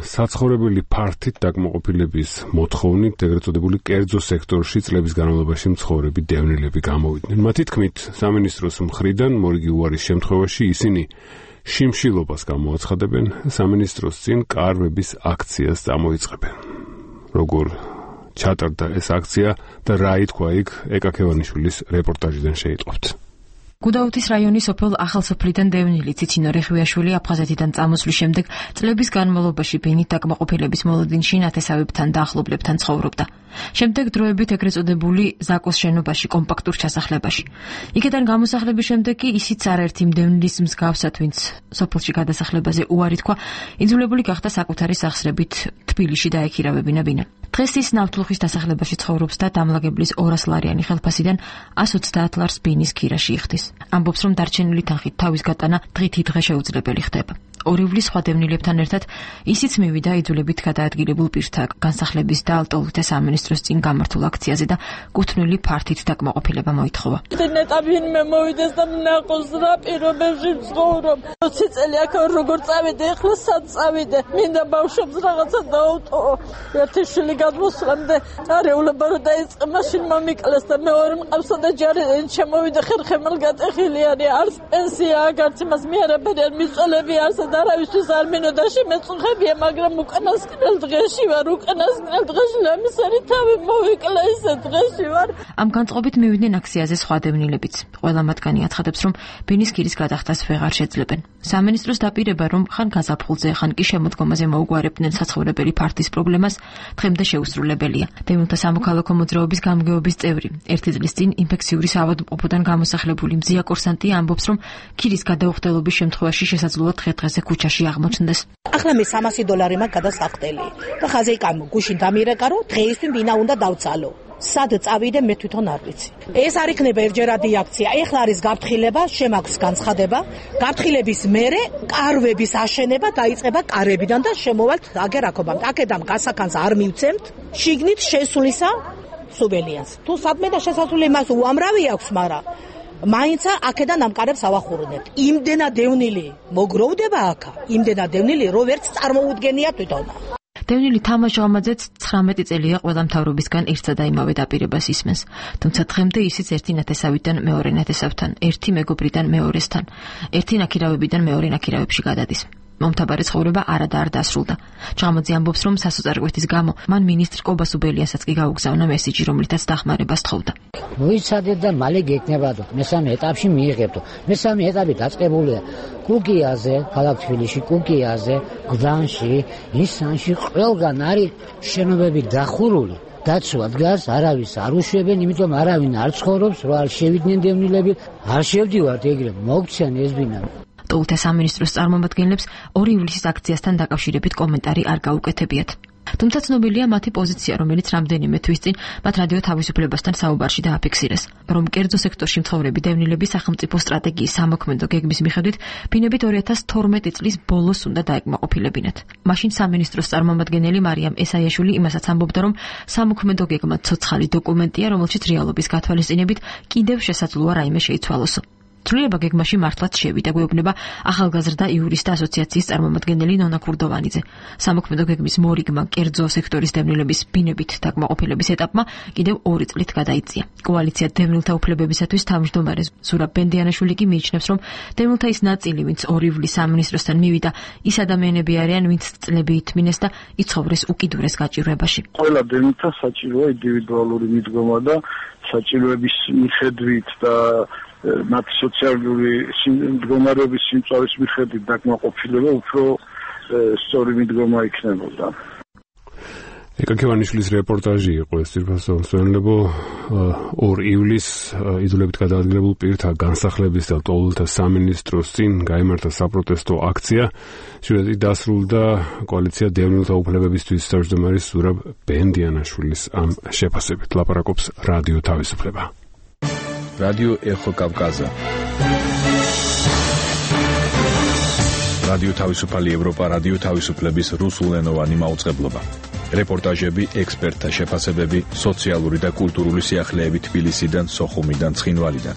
საცხოვრებელი ფართით დაკმაყოფილების მოთხოვნით ეგრეთ წოდებული კერძო სექტორში წლების განმავლობაში მცხოვრები დევნილები გამოვიდნენ. მათი თქმით, სამინისტროს მხრიდან მორიგი უარის შემთხვევაში ისინი შიმშილობას გამოაცხადებენ, სამინისტროს წინ კარვების აქციას წამოიწყებენ. როგორ ჩატარდა ეს აქცია და რა ითქვა იქ, ეკა ქევანიშვილის რეპორტაჟიდან შეიტყობთ. გუდაუთის რაიონის სოფელ ახალსოფლიდან დევნილი ციცინო რეხვიაშვილი აფხაზეთიდან წამოსვლის შემდეგ წლების განმავლობაში ბინით დაკმაყოფილების მოლოდინში ნათესავებთან და ახლობლებთან ცხოვრობდა. შემდეგ დროებით ეგრეთ წოდებული ზაკოს შენობაში კომპაქტურ ჩასახლებაში. იქიდან გამოსახლების შემდეგ კი ისიც არაერთი დევნილის მსგავსად, ვინც სოფელში გადასახლებაზე უარი თქვა, იძულებული გახდა საკუთარი სახსრებით თბილისში დაექირავებინა ბინა. დღეს ის ნავთლუხის დასახლებაში ცხოვრობს და დამლაგებლის ორას ლარიანი ხელფასიდან ას ოცდაათ ლარს ბინის ქირაში იხდის. ამბობს, რომ დარჩენილი თანხით თავის გატანა დღითი დღე შეუძლებელი ხდება. ორი ივლის სხვა დევნილებთან ერთად ისიც მივიდა იძულებით გადაადგილებულ პირთა განსახლების და ტოლვილთა სამინისტროს წინ გამართულ აქციაზე და კუთვნილი ფართით დაკმაყოფილება მოითხოვა. ნეტაბინ მე მოვიდეს და მნაყოს რა პირობებში ვცხოვრობ. ოცი წელი აქ როგორ წავიდე, ახლა სად წავიდე? მინდა ბავშვებს რაღაცა დაუტოვო. ერთი შვილი გადმოსვლამდე არეულობა რო დაიწყე, მაშინ მომიკლეს და მეორე მყავსა და ჯარი შემოვიდა ხერხემალ გატეხილი არის. არც პენსია, არც იმას მიარებენ მიწოლები არც და არავისთვის არ მინოდა შემეწუხებია, მაგრამ უკანასკნელ დღეში ვარ, უკანასკნელ დღეში ლამისარი თავი მოვიკლა ისე დღეში ვარ. ამ განწყობით მივიდნენ აქციაზე სხვა დევნილებიც. ყველა მათგანი აცხადებს, რომ ბინის ქირის გადახდას ვეღარ შეძლებენ. სამინისტროს დაპირება, რომ ხან გაზაფხულზე, ხან კი შემოდგომაზე მოუგვარებდნენ საცხოვრებელი ფართის პრობლემას, დღემდე შეუსრულებელია. დევნილთა სამოქალაქო მოძრაობის გამგეობის წევრი, ერთი წლის წინ ინფექციური საავადმყოფოდან გამოსახლებული მძია კურსანტი ამბობს, რომ ქირის გადაუხდელობის შემთხვევაში შესაძლოა დღე-დღეზე ქუჩაში აღმოჩნდეს. ახლა მე სამასი დოლარი მაქვს გადასახდელი და ხაზე კამო გუშინ დამირეკარო, დღეისთვის ბინა უნდა დავცალო. სად წავიდე მე თვითონ არ ვიცი. ეს არ იქნება ერთჯერადი აქცია. ეხლა არის გაფრთხილება, შემაქვს განცხადება. გაფრთხილების მერე კარვების აშენება დაიწყება კარებიდან და შემოვალთ აგერაკობამ. აქედან გასახანს არ მივცემთ. შიგნით შესულისა სუბელიას. თუ სადმე და შესასვლელი მას უამრავი აქვს, მაგრამ მაინც აქედან ამ კარებს ავახურნებთ. იმდენა დევნილი მოგროვდება აქა. იმდენა დევნილი რო ვერც წარმოუდგენია თვითონ. დევნილი თამაშ ჟამაძეც ცხრამეტი წელია ყველა მთავრობისგან ერთსა და იმავე დაპირებას ისმენს. თუმცა დღემდე ისიც ერთი ნათესავიდან მეორე ნათესავთან, ერთი მეგობრიდან მეორესთან, ერთი ნაქირავებიდან მეორე ნაქირავებში გადადის. მომთაბარე ცხოვრება არადა არ დასრულდა. ჟამაძე ამბობს, რომ სასოწარკვეთის გამო მან მინისტრ კობა სუბელიასაც კი გაუგზავნა მესიჯი, რომლითაც დახმარებას თხოვდა. მოიცადეთ და მალე გეკნებადო. მესამე ეტაპში მიიღებდო. მესამე ეტაპი დაწყებულია კუკიაზე, ქალაქ თბილისში, კუკიაზე, გდანში, ისანში ყველგან არის შენობები დახურული. დაცვა დგას, არავის არ უშვებენ, იმიტომ არავინ არ ცხოვრობს, რომ არ შევიდნენ დევნილები, არ შევდივართ ეგრე, მოგციან ეს ბინა. ტოლვილთა სამინისტროს წარმომადგენლებს ორი ივლისის აქციასთან დაკავშირებით კომენტარი არ გაუკეთებიათ. თუმცა ცნობილია მათი პოზიცია, რომელიც რამდენიმე თვის წინ მათ რადიო თავისუფლებასთან საუბარში დააფიქსირეს, რომ კერძო სექტორში მცხოვრები დევნილები სახელმწიფო სტრატეგიის სამოქმედო გეგმის მიხედვით ბინებით ორი ათას თორმეტი წლის ბოლოს უნდა დაეკმაყოფილებინათ. მაშინ სამინისტროს წარმომადგენელი მარიამ ესაიაშვილი იმასაც ამბობდა, რომ სამოქმედო გეგმა ცოცხალი დოკუმენტია, რომელშიც რეალობის გათვალისწინებით კიდევ შესაძლოა რაიმე შეიცვალოსო. ცვლილება გეგმაში მართლაც შევიდა, გვეუბნება ახალგაზრდა იურისტთა ასოციაციის წარმომადგენელი ნონა ქურდოვანიძე. სამოქმედო გეგმის მორიგმა კერძო სექტორის დევნილების ბინებით დაკმაყოფილების ეტაპმა კიდევ ორი წლით გადაიწია. კოალიცია დევნილთა უფლებებისათვის თავმჯდომარე ზურაბ ბენდიანაშვილი კი მიიჩნევს, რომ დევნილთა ის ნაწილი, ვინც ორი ივლის სამინისტროსთან მივიდა, ის ადამიანები არიან, ვინც წლები ითმინეს და იცხოვრეს უკიდურეს გაჭირვებაში. ყველა დევნილთა საჭიროა ინდივიდუალური მიდგომა და საჭიროების მიხედვით და მათი სოციალური მდგომარეობის სიმწავის მიხედვით დაკმაყოფილება უფრო სწორი მიდგომა იქნებოდა. ეკაკევანიშვილის რეპორტაჟი იყო ეს ძირფასო მსვენელებო ორ ივლისს იძულებით გადაადგილებულ პირთა განსახლების და ლტოლვილთა სამინისტროს წინ გაიმართა საპროტესტო აქცია. შვედეთი დასრულდა კოალიცია დევნილთა უფლებებისთვის თავმჯდომარის ზურაბ ბენდიანაშვილის ამ შეფასებით. ლაპარაკობს რადიო თავისუფლება. რადიო ეხო კავკაზა. რადიო თავისუფალი ევროპა რადიო თავისუფლების რუსულენოვანი მაუწყებლობა. რეპორტაჟები, ექსპერტთა შეფასებები, სოციალური და კულტურული სიახლეები თბილისიდან, სოხუმიდან, ცხინვალიდან.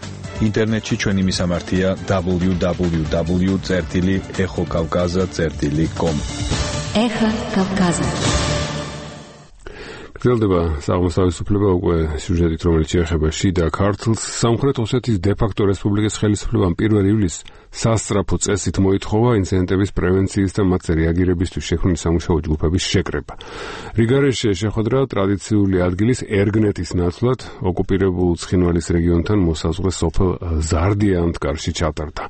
ინტერნეტში ჩვენი მისამართია დაბლიუ დაბლიუ დაბლიუ წერტილი ეხო კავკაზა წერტილი კომ. ეხო კავკაზა. გრძელდება საღამოს თავისუფლება უკვე სიუჟეტით, რომელიც შეეხება შიდა ქართლს. სამხრეთ ოსეთის დე-ფაქტო რესპუბლიკის ხელისუფლებამ პირველ ივლისს სასწრაფო წესით მოითხოვა ინციდენტების პრევენციის და მათზე რეაგირებისთვის შექმნილი სამუშაო ჯგუფების შეკრება. რიგარეშე შეხვედრა ტრადიციული ადგილის ერგნეთის ნაცვლად ოკუპირებულ ცხინვალის რეგიონთან მოსაზღვრე სოფელ ზარდიანთკარში ჩატარდა.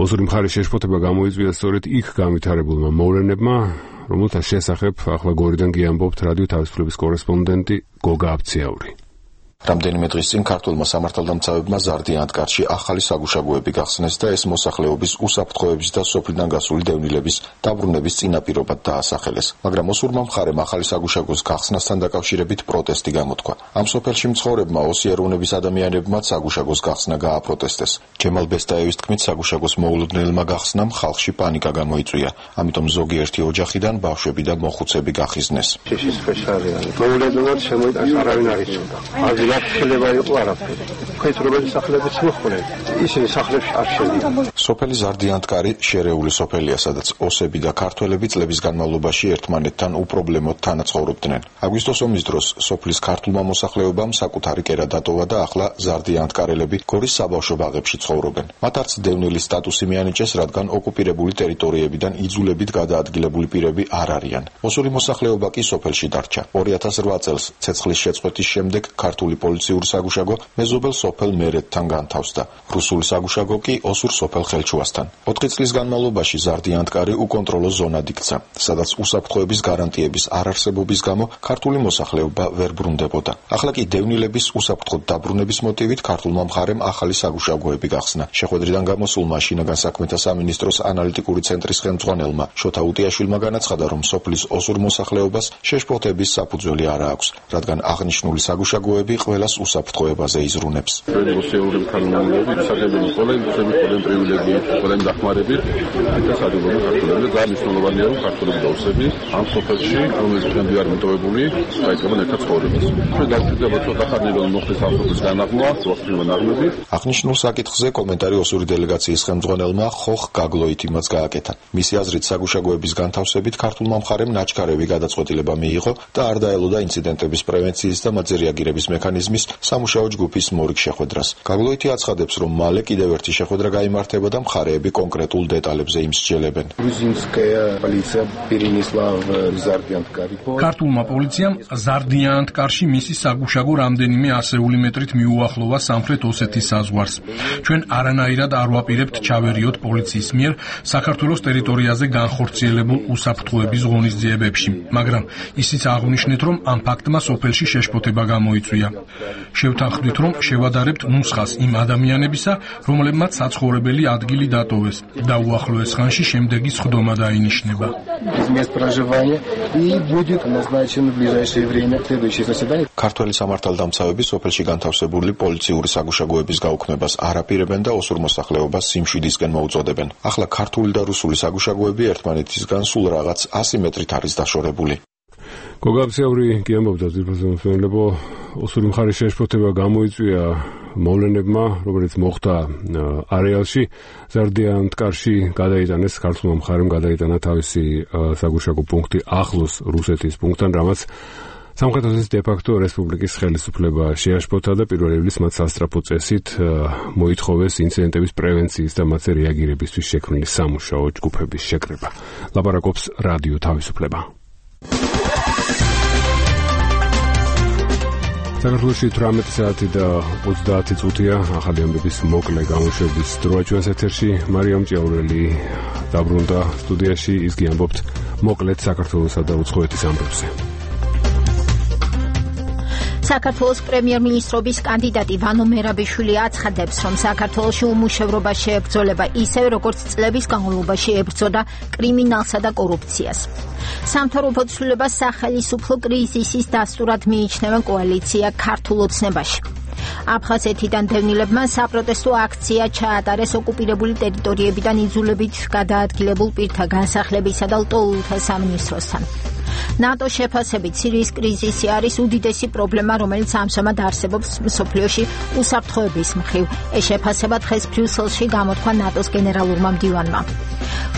ოსური მხარის შეშფოთება გამოიწვია სწორედ იქ განვითარებულმა მოვლენებმა, რომელთა შესახებ ახლა გორიდან კი ამბობთ რადიო თავისუფლების კორესპონდენტი გოგა აბციაური. რამდენიმე დღის წინ ქართულმა სამართალდამცავებმა ზარდიანთკარში ახალი საგუშაგოები გახსნეს და ეს მოსახლეობის უსაფრთხოების და სოფლიდან გასული დევნილების დაბრუნების წინაპირობად დაასახელეს. მაგრამ ოსურმა მხარემ ახალი საგუშაგოს გახსნასთან დაკავშირებით პროტესტი გამოთქვა. ამ სოფელში მცხოვრებმა ოსი ეროვნების ადამიანებმაც საგუშაგოს გახსნა გააპროტესტეს. ჯემალ ბესტაევის თქმით, საგუშაგოს მოულოდნელმა გახსნამ ხალხში პანიკა გამოიწვია. ამიტომ ზოგიერთი ოჯახიდან ბავშვები და მოხუცები გახიზნეს. მოულოდნელად შემოიტანეს, არავინ არ იცოდა. შეიძლება იყო არაფერი. ქეთრობელი სახლებიც მოხდნენ. ისინი სახლებში არ შედიან. სოფელი ზარდიანთკარი შერეული სოფელია, სადაც ოსები და ქართველები წლების განმავლობაში ერთმანეთთან უპრობლემოდ თანაცხოვრობდნენ. აგვისტოს ომის დროს სოფლის ქართულმა მოსახლეობამ საკუთარი კერა დატოვა და ახლა ზარდიანთკარელები გორის საბავშვო ბაღებში ცხოვრობენ. მათ არც დევნილის სტატუსი მიანიჭეს, რადგან ოკუპირებული ტერიტორიებიდან იძულებით გადაადგილებული პირები არ არიან. ოსური მოსახლეობა კი სოფელში დარჩა. ორი ათას რვა წელს ცეცხლის შეწყვეტის შემდეგ ქართული პოლიციური საგუშაგო მეზობელ სოფელ მერეთთან განთავსდა. რუსული საგუშაგო კი ოსურ სოფელ ხელჩუასთან. ოთხი წლის განმავლობაში ზარდიანთკარი უკონტროლო ზონად იქცა, სადაც უსაფრთხოების გარანტიების არარსებობის გამო ქართული მოსახლეობა ვერ ბრუნდებოდა. ახლა კი დევნილების უსაფრთხოდ დაბრუნების მოტივით ქართულმა მხარემ ახალი საგუშაგოები გახსნა. შეხვედრიდან გამოსულმა შინაგან საქმეთა სამინისტროს ანალიტიკური ცენტრის ხელმძღვანელმა შოთა უტიაშვილმა განაცხადა, რომ სოფლის ოსურ მოსახლეობას შეშფოთების საფუძველი არ აქვს, რადგან აღნიშნული საგუშაგოები ყველას უსაფრთხოებაზე იზრუნებს. ჩვენი ოსეურები ქალმომავლები ისახებენ ყველა იმსები, ყველა პრივილეგიით, ყველა დახმარებით და სადღაც ქართულები და მნიშვნელოვანია, რომ ქართულები და ოსები ამ სოფელში, რომელიც დღემდე არ მიტოვებული, დაიწყებენ ერთად ცხოვრებას. ჩვენ დავჭირდება ცოტა ხანი რომ მოხდეს ამ სოფლის განაღმა, სოფლის ნაღმები. აღნიშნულ საკითხზე კომენტარი ოსური დელეგაციის ხელმძღვანელმა ხოხ გაგლოითიმაც გააკეთა. მისი აზრით, საგუშაგოების განთავსებით ქართულმა მხარემ ნაჩქარევი გადაწყვეტილება მიიღო და არ დაელოდა ინციდენტების პრევენციის და მათზე რეაგირების მექანიზმის სამუშაო ჯგუფის მორიგ შეხვედრას. გაგლოითი აცხადებს, რომ მალე კიდევ ერთი შეხვედრა გაიმართება და მხარეები კონკრეტულ დეტალებზე იმსჯელებენ. ქართულმა პოლიციამ ზარდიანთკარში მისი საგუშაგო რამდენიმე ასეული მეტრით მიუახლოვა სამხრეთ ოსეთის საზღვარს. ჩვენ არანაირად არ ვაპირებთ ჩავერიოთ პოლიციის მიერ საქართველოს ტერიტორიაზე განხორციელებულ უსაფრთხოების ღონისძიებებში, მაგრამ ისიც აღვნიშნეთ, რომ ამ ფაქტმა სოფელში შეშფოთება გამოიწვია. შევთანხმდით, რომ შევადარებთ ნუსხას იმ ადამიანებისა, რომლებმაც საცხოვრებელი ადგილი დატოვეს და უახლოეს ხანში შემდეგი სხდომა დაინიშნება. ქართველი სამართალდამცავები სოფელში განთავსებული პოლიციური საგუშაგოების გაუქმებას არ აპირებენ და ოსურ მოსახლეობას სიმშვიდისკენ მოუწოდებენ. ახლა ქართული და რუსული საგუშაგოები ერთმანეთისგან სულ რაღაც ასი მეტრით არის დაშორებული. გოგა აბციაური კი ამბობდა ძირფასო მსმენელებო, ოსური მხარის შეშფოთება გამოიწვია მოვლენებმა, რომელიც მოხდა არეალში, ზარდიანთკარში გადაიტანეს ქართულმა მხარემ გადაიტანა თავისი საგუშაგო პუნქტი ახლოს რუსეთის პუნქტთან, რამაც სამხრეთის დე-ფაქტო რესპუბლიკის ხელისუფლება შეაშფოთა და პირველ ივლისს მათ სასწრაფო წესით მოითხოვეს ინციდენტების პრევენციის და მათზე რეაგირებისთვის შექმნილი სამუშაო ჯგუფების შეკრება. ლაპარაკობს რადიო თავისუფლება. საქართველოში თვრამეტი საათი და ოცდაათი წუთია ახალი ამბების მოკლე გამოშვების დროა ჩვენს ეთერში. მარიამ ჭიაურელი დაბრუნდა სტუდიაში, ის გიამბობთ მოკლედ საქართველოსა და უცხოეთის ამბებზე. საქართველოს პრემიერ-მინისტრობის კანდიდატი ვანო მერაბიშვილი აცხადებს, რომ საქართველოში უმუშევრობა შეებრძოლება ისევე, როგორც წლების განმავლობაში ებრძოდა კრიმინალსა და კორუფციას. სამთავრობო ცვლილებას სახელისუფლო კრიზისის დასტურად მიიჩნევენ კოალიცია ქართულ ოცნებაში. აფხაზეთიდან დევნილებმა საპროტესტო აქცია ჩაატარეს ოკუპირებული ტერიტორიებიდან იძულებით გადაადგილებულ პირთა განსახლებისა და ლტოლვილთა სამინისტროსთან. ნატო შეფასებით სირიის კრიზისი არის უდიდესი პრობლემა, რომელიც ამჟამად არსებობს მსოფლიოში უსაფრთხოების მხრივ. ეს შეფასება დღეს ბრიუსელში გამოთქვა ნატოს გენერალურმა მდივანმა.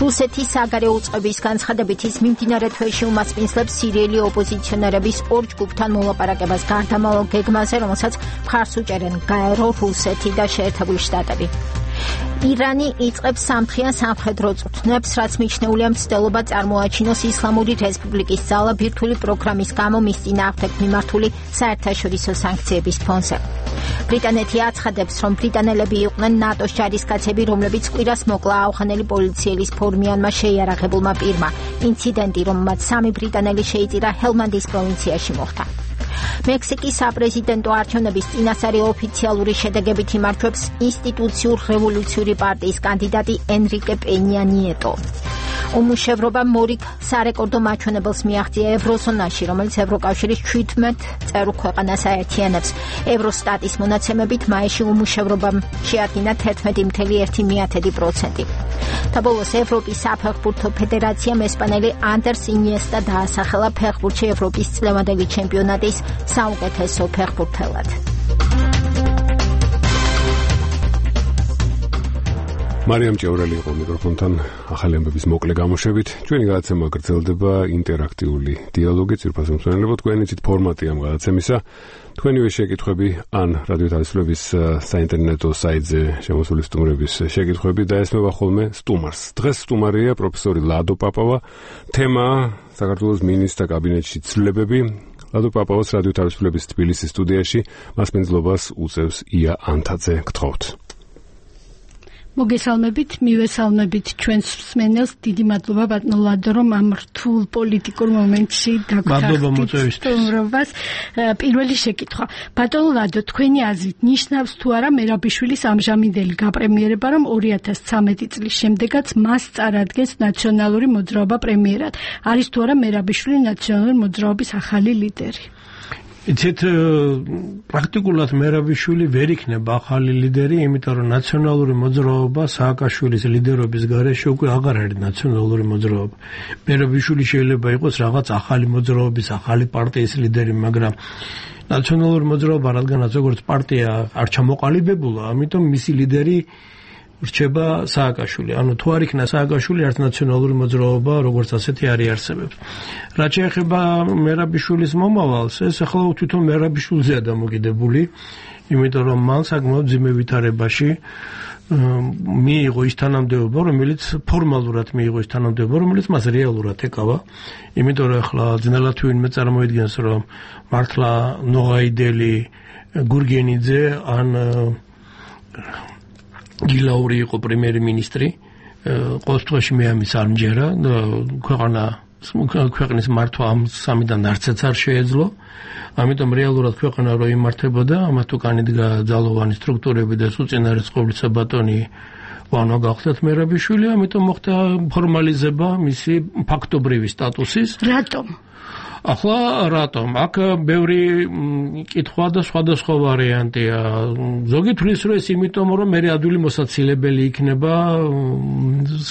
რუსეთის საგარეო უწყების განცხადებით ის მიმდინარე თვეში უმასპინძლებს სირიელი ოპოზიციონერების ორ ჯგუფთან მოლაპარაკებას გარდამავალ გეგმაზე, რომელსაც მხარს უჭერენ გაერო, რუსეთი და შეერთებული შტატები. ირანი იწყებს სამთხიან სამხედრო წვრთნებს, რაც მიჩნეულია მცდელობა წარმოაჩინოს ისლამური რესპუბლიკის ძალა ბირთვული პროგრამის გამო მის წინააღმდეგ მიმართული საერთაშორისო სანქციების ფონზე. ბრიტანეთი აცხადებს, რომ ბრიტანელები იყვნენ ნატოს ჯარისკაცები, რომლებიც კვირას მოკლა აუხანელი პოლიციელის ფორმიანმა შეიარაღებულმა პირმა. ინციდენტი, რომელმაც სამი ბრიტანელი შეიწირა ჰელმანდის პროვინციაში მოხდა. მექსიკის საპრეზიდენტო არჩევნების წინასწარი ოფიციალური შედეგებით იმარჯვებს ინსტიტუციურ რევოლუციური პარტიის კანდიდატი ენრიკე პენია ნიეტო. უმუშევრობა მორიგ სარეკორდო მაჩვენებელს მიაღწია ევროზონაში, რომელიც ევროკავშირის შვიდმეტ წევრ ქვეყანას აერთიანებს. ევროსტატის მონაცემებით მაისში უმუშევრობამ შეადგინა თერთმეტი ფاصლე ერთი პროცენტი. და ბოლოს ევროპის საფეხბურთო ფედერაციამ ესპანელი ანდერს ინიესტა დაასახელა ფეხბურთში ევროპის წლევანდელი ჩემპიონატის საუკეთესო ფეხბურთელად. მარიამ ჭიაურელი იყო მიკროფონთან ახალი ამბების მოკლე გამოშვებით. ჩვენი გადაცემა გრძელდება ინტერაქტიული დიალოგი ძირფას მომსვენებელთ. თქვენი ცით ფორმატი ამ გადაცემისა. თქვენივე შეკითხვები ან რადიო თავისუფლების საინტერნეტო საიტზე შემოსული სტუმრების შეკითხვები დაესმება ხოლმე სტუმარს. დღეს სტუმარია პროფესორი ლადო პაპავა. თემა საქართველოს მინისტრთა კაბინეტში ცვლილებები. ლადო პაპავას რადიო თავისუფლების თბილისის სტუდიაში მასპინძლობას უწევს ია ანთაძე. გთხოვთ. მოგესალმებით, მივესალმებით ჩვენს მსმენელს. დიდი მადლობა ბატონო ლადო, რომ ამ რთულ პოლიტიკურ მომენტში დაგვახდით სტუმრობას. პირველი შეკითხვა. ბატონო ლადო, თქვენი აზრით ნიშნავს თუ არა მერაბიშვილის ამჟამინდელი გაპრემიერება, რომ ორი ათას ცხრამეტი წლის შემდეგაც მას წარადგენს ნაციონალური მოძრაობა პრემიერად? არის თუ არა მერაბიშვილი ნაციონალური მოძრაობის ახალი ლიდერი? იცით, პრაქტიკულად მერაბიშვილი ვერ იქნება ახალი ლიდერი, იმიტომ რომ ნაციონალური მოძრაობა სააკაშვილის ლიდერობის გარეშე უკვე აღარ არის ნაციონალური მოძრაობა. მერაბიშვილი შეიძლება იყოს რაღაც ახალი მოძრაობის, ახალი პარტიის ლიდერი, მაგრამ ნაციონალური მოძრაობა, რადგანაც როგორც პარტია არ ჩამოყალიბებულა, ამიტომ მისი ლიდერი რჩება სააკაშვილი. ანუ თუ არ იქნა სააკაშვილი, არც ნაციონალური მოძრაობა როგორც ასეთი არ იარსებებს. რაც შეეხება მერაბიშვილის მომავალს, ეს ახლა თვითონ მერაბიშვილზეა დამოკიდებული, იმიტომ რომ მან საკმაოდ ძიმე ვითარებაში მიიღო ის თანამდებობა, რომელიც ფორმალურად მიიღო ის თანამდებობა, რომელიც მას რეალურად ეკავა. იმიტომ რომ ახლა ძნელად ვინმე წარმოიდგენს, რომ მართლა ნოღაიდელი, გურგენიძე ან გილაური იყო პრემიერ-მინისტრი. ყოველ შემთხვევაში მე ამის არ მჯერა. ქვეყანა ქვეყნის მართვა ამ სამიდან არცეც არ შეეძლო. ამიტომ რეალურად ქვეყანა რო იმართებოდა, ამათ უკან იდგა ძალოვანი სტრუქტურები და უწინარესყობლისა ბატონი ვანო გახდათ მერაბიშვილი, ამიტომ მოხდა ფორმალიზება მისი ფაქტობრივი სტატუსის. რატომ? ახლა რატომ? აქ ბევრი კითხვა და სხვადასხვა ვარიანტია. ზოგი თვლის რომ ეს იმიტომ რომ მე ადვილი მოსაცილებელი იქნება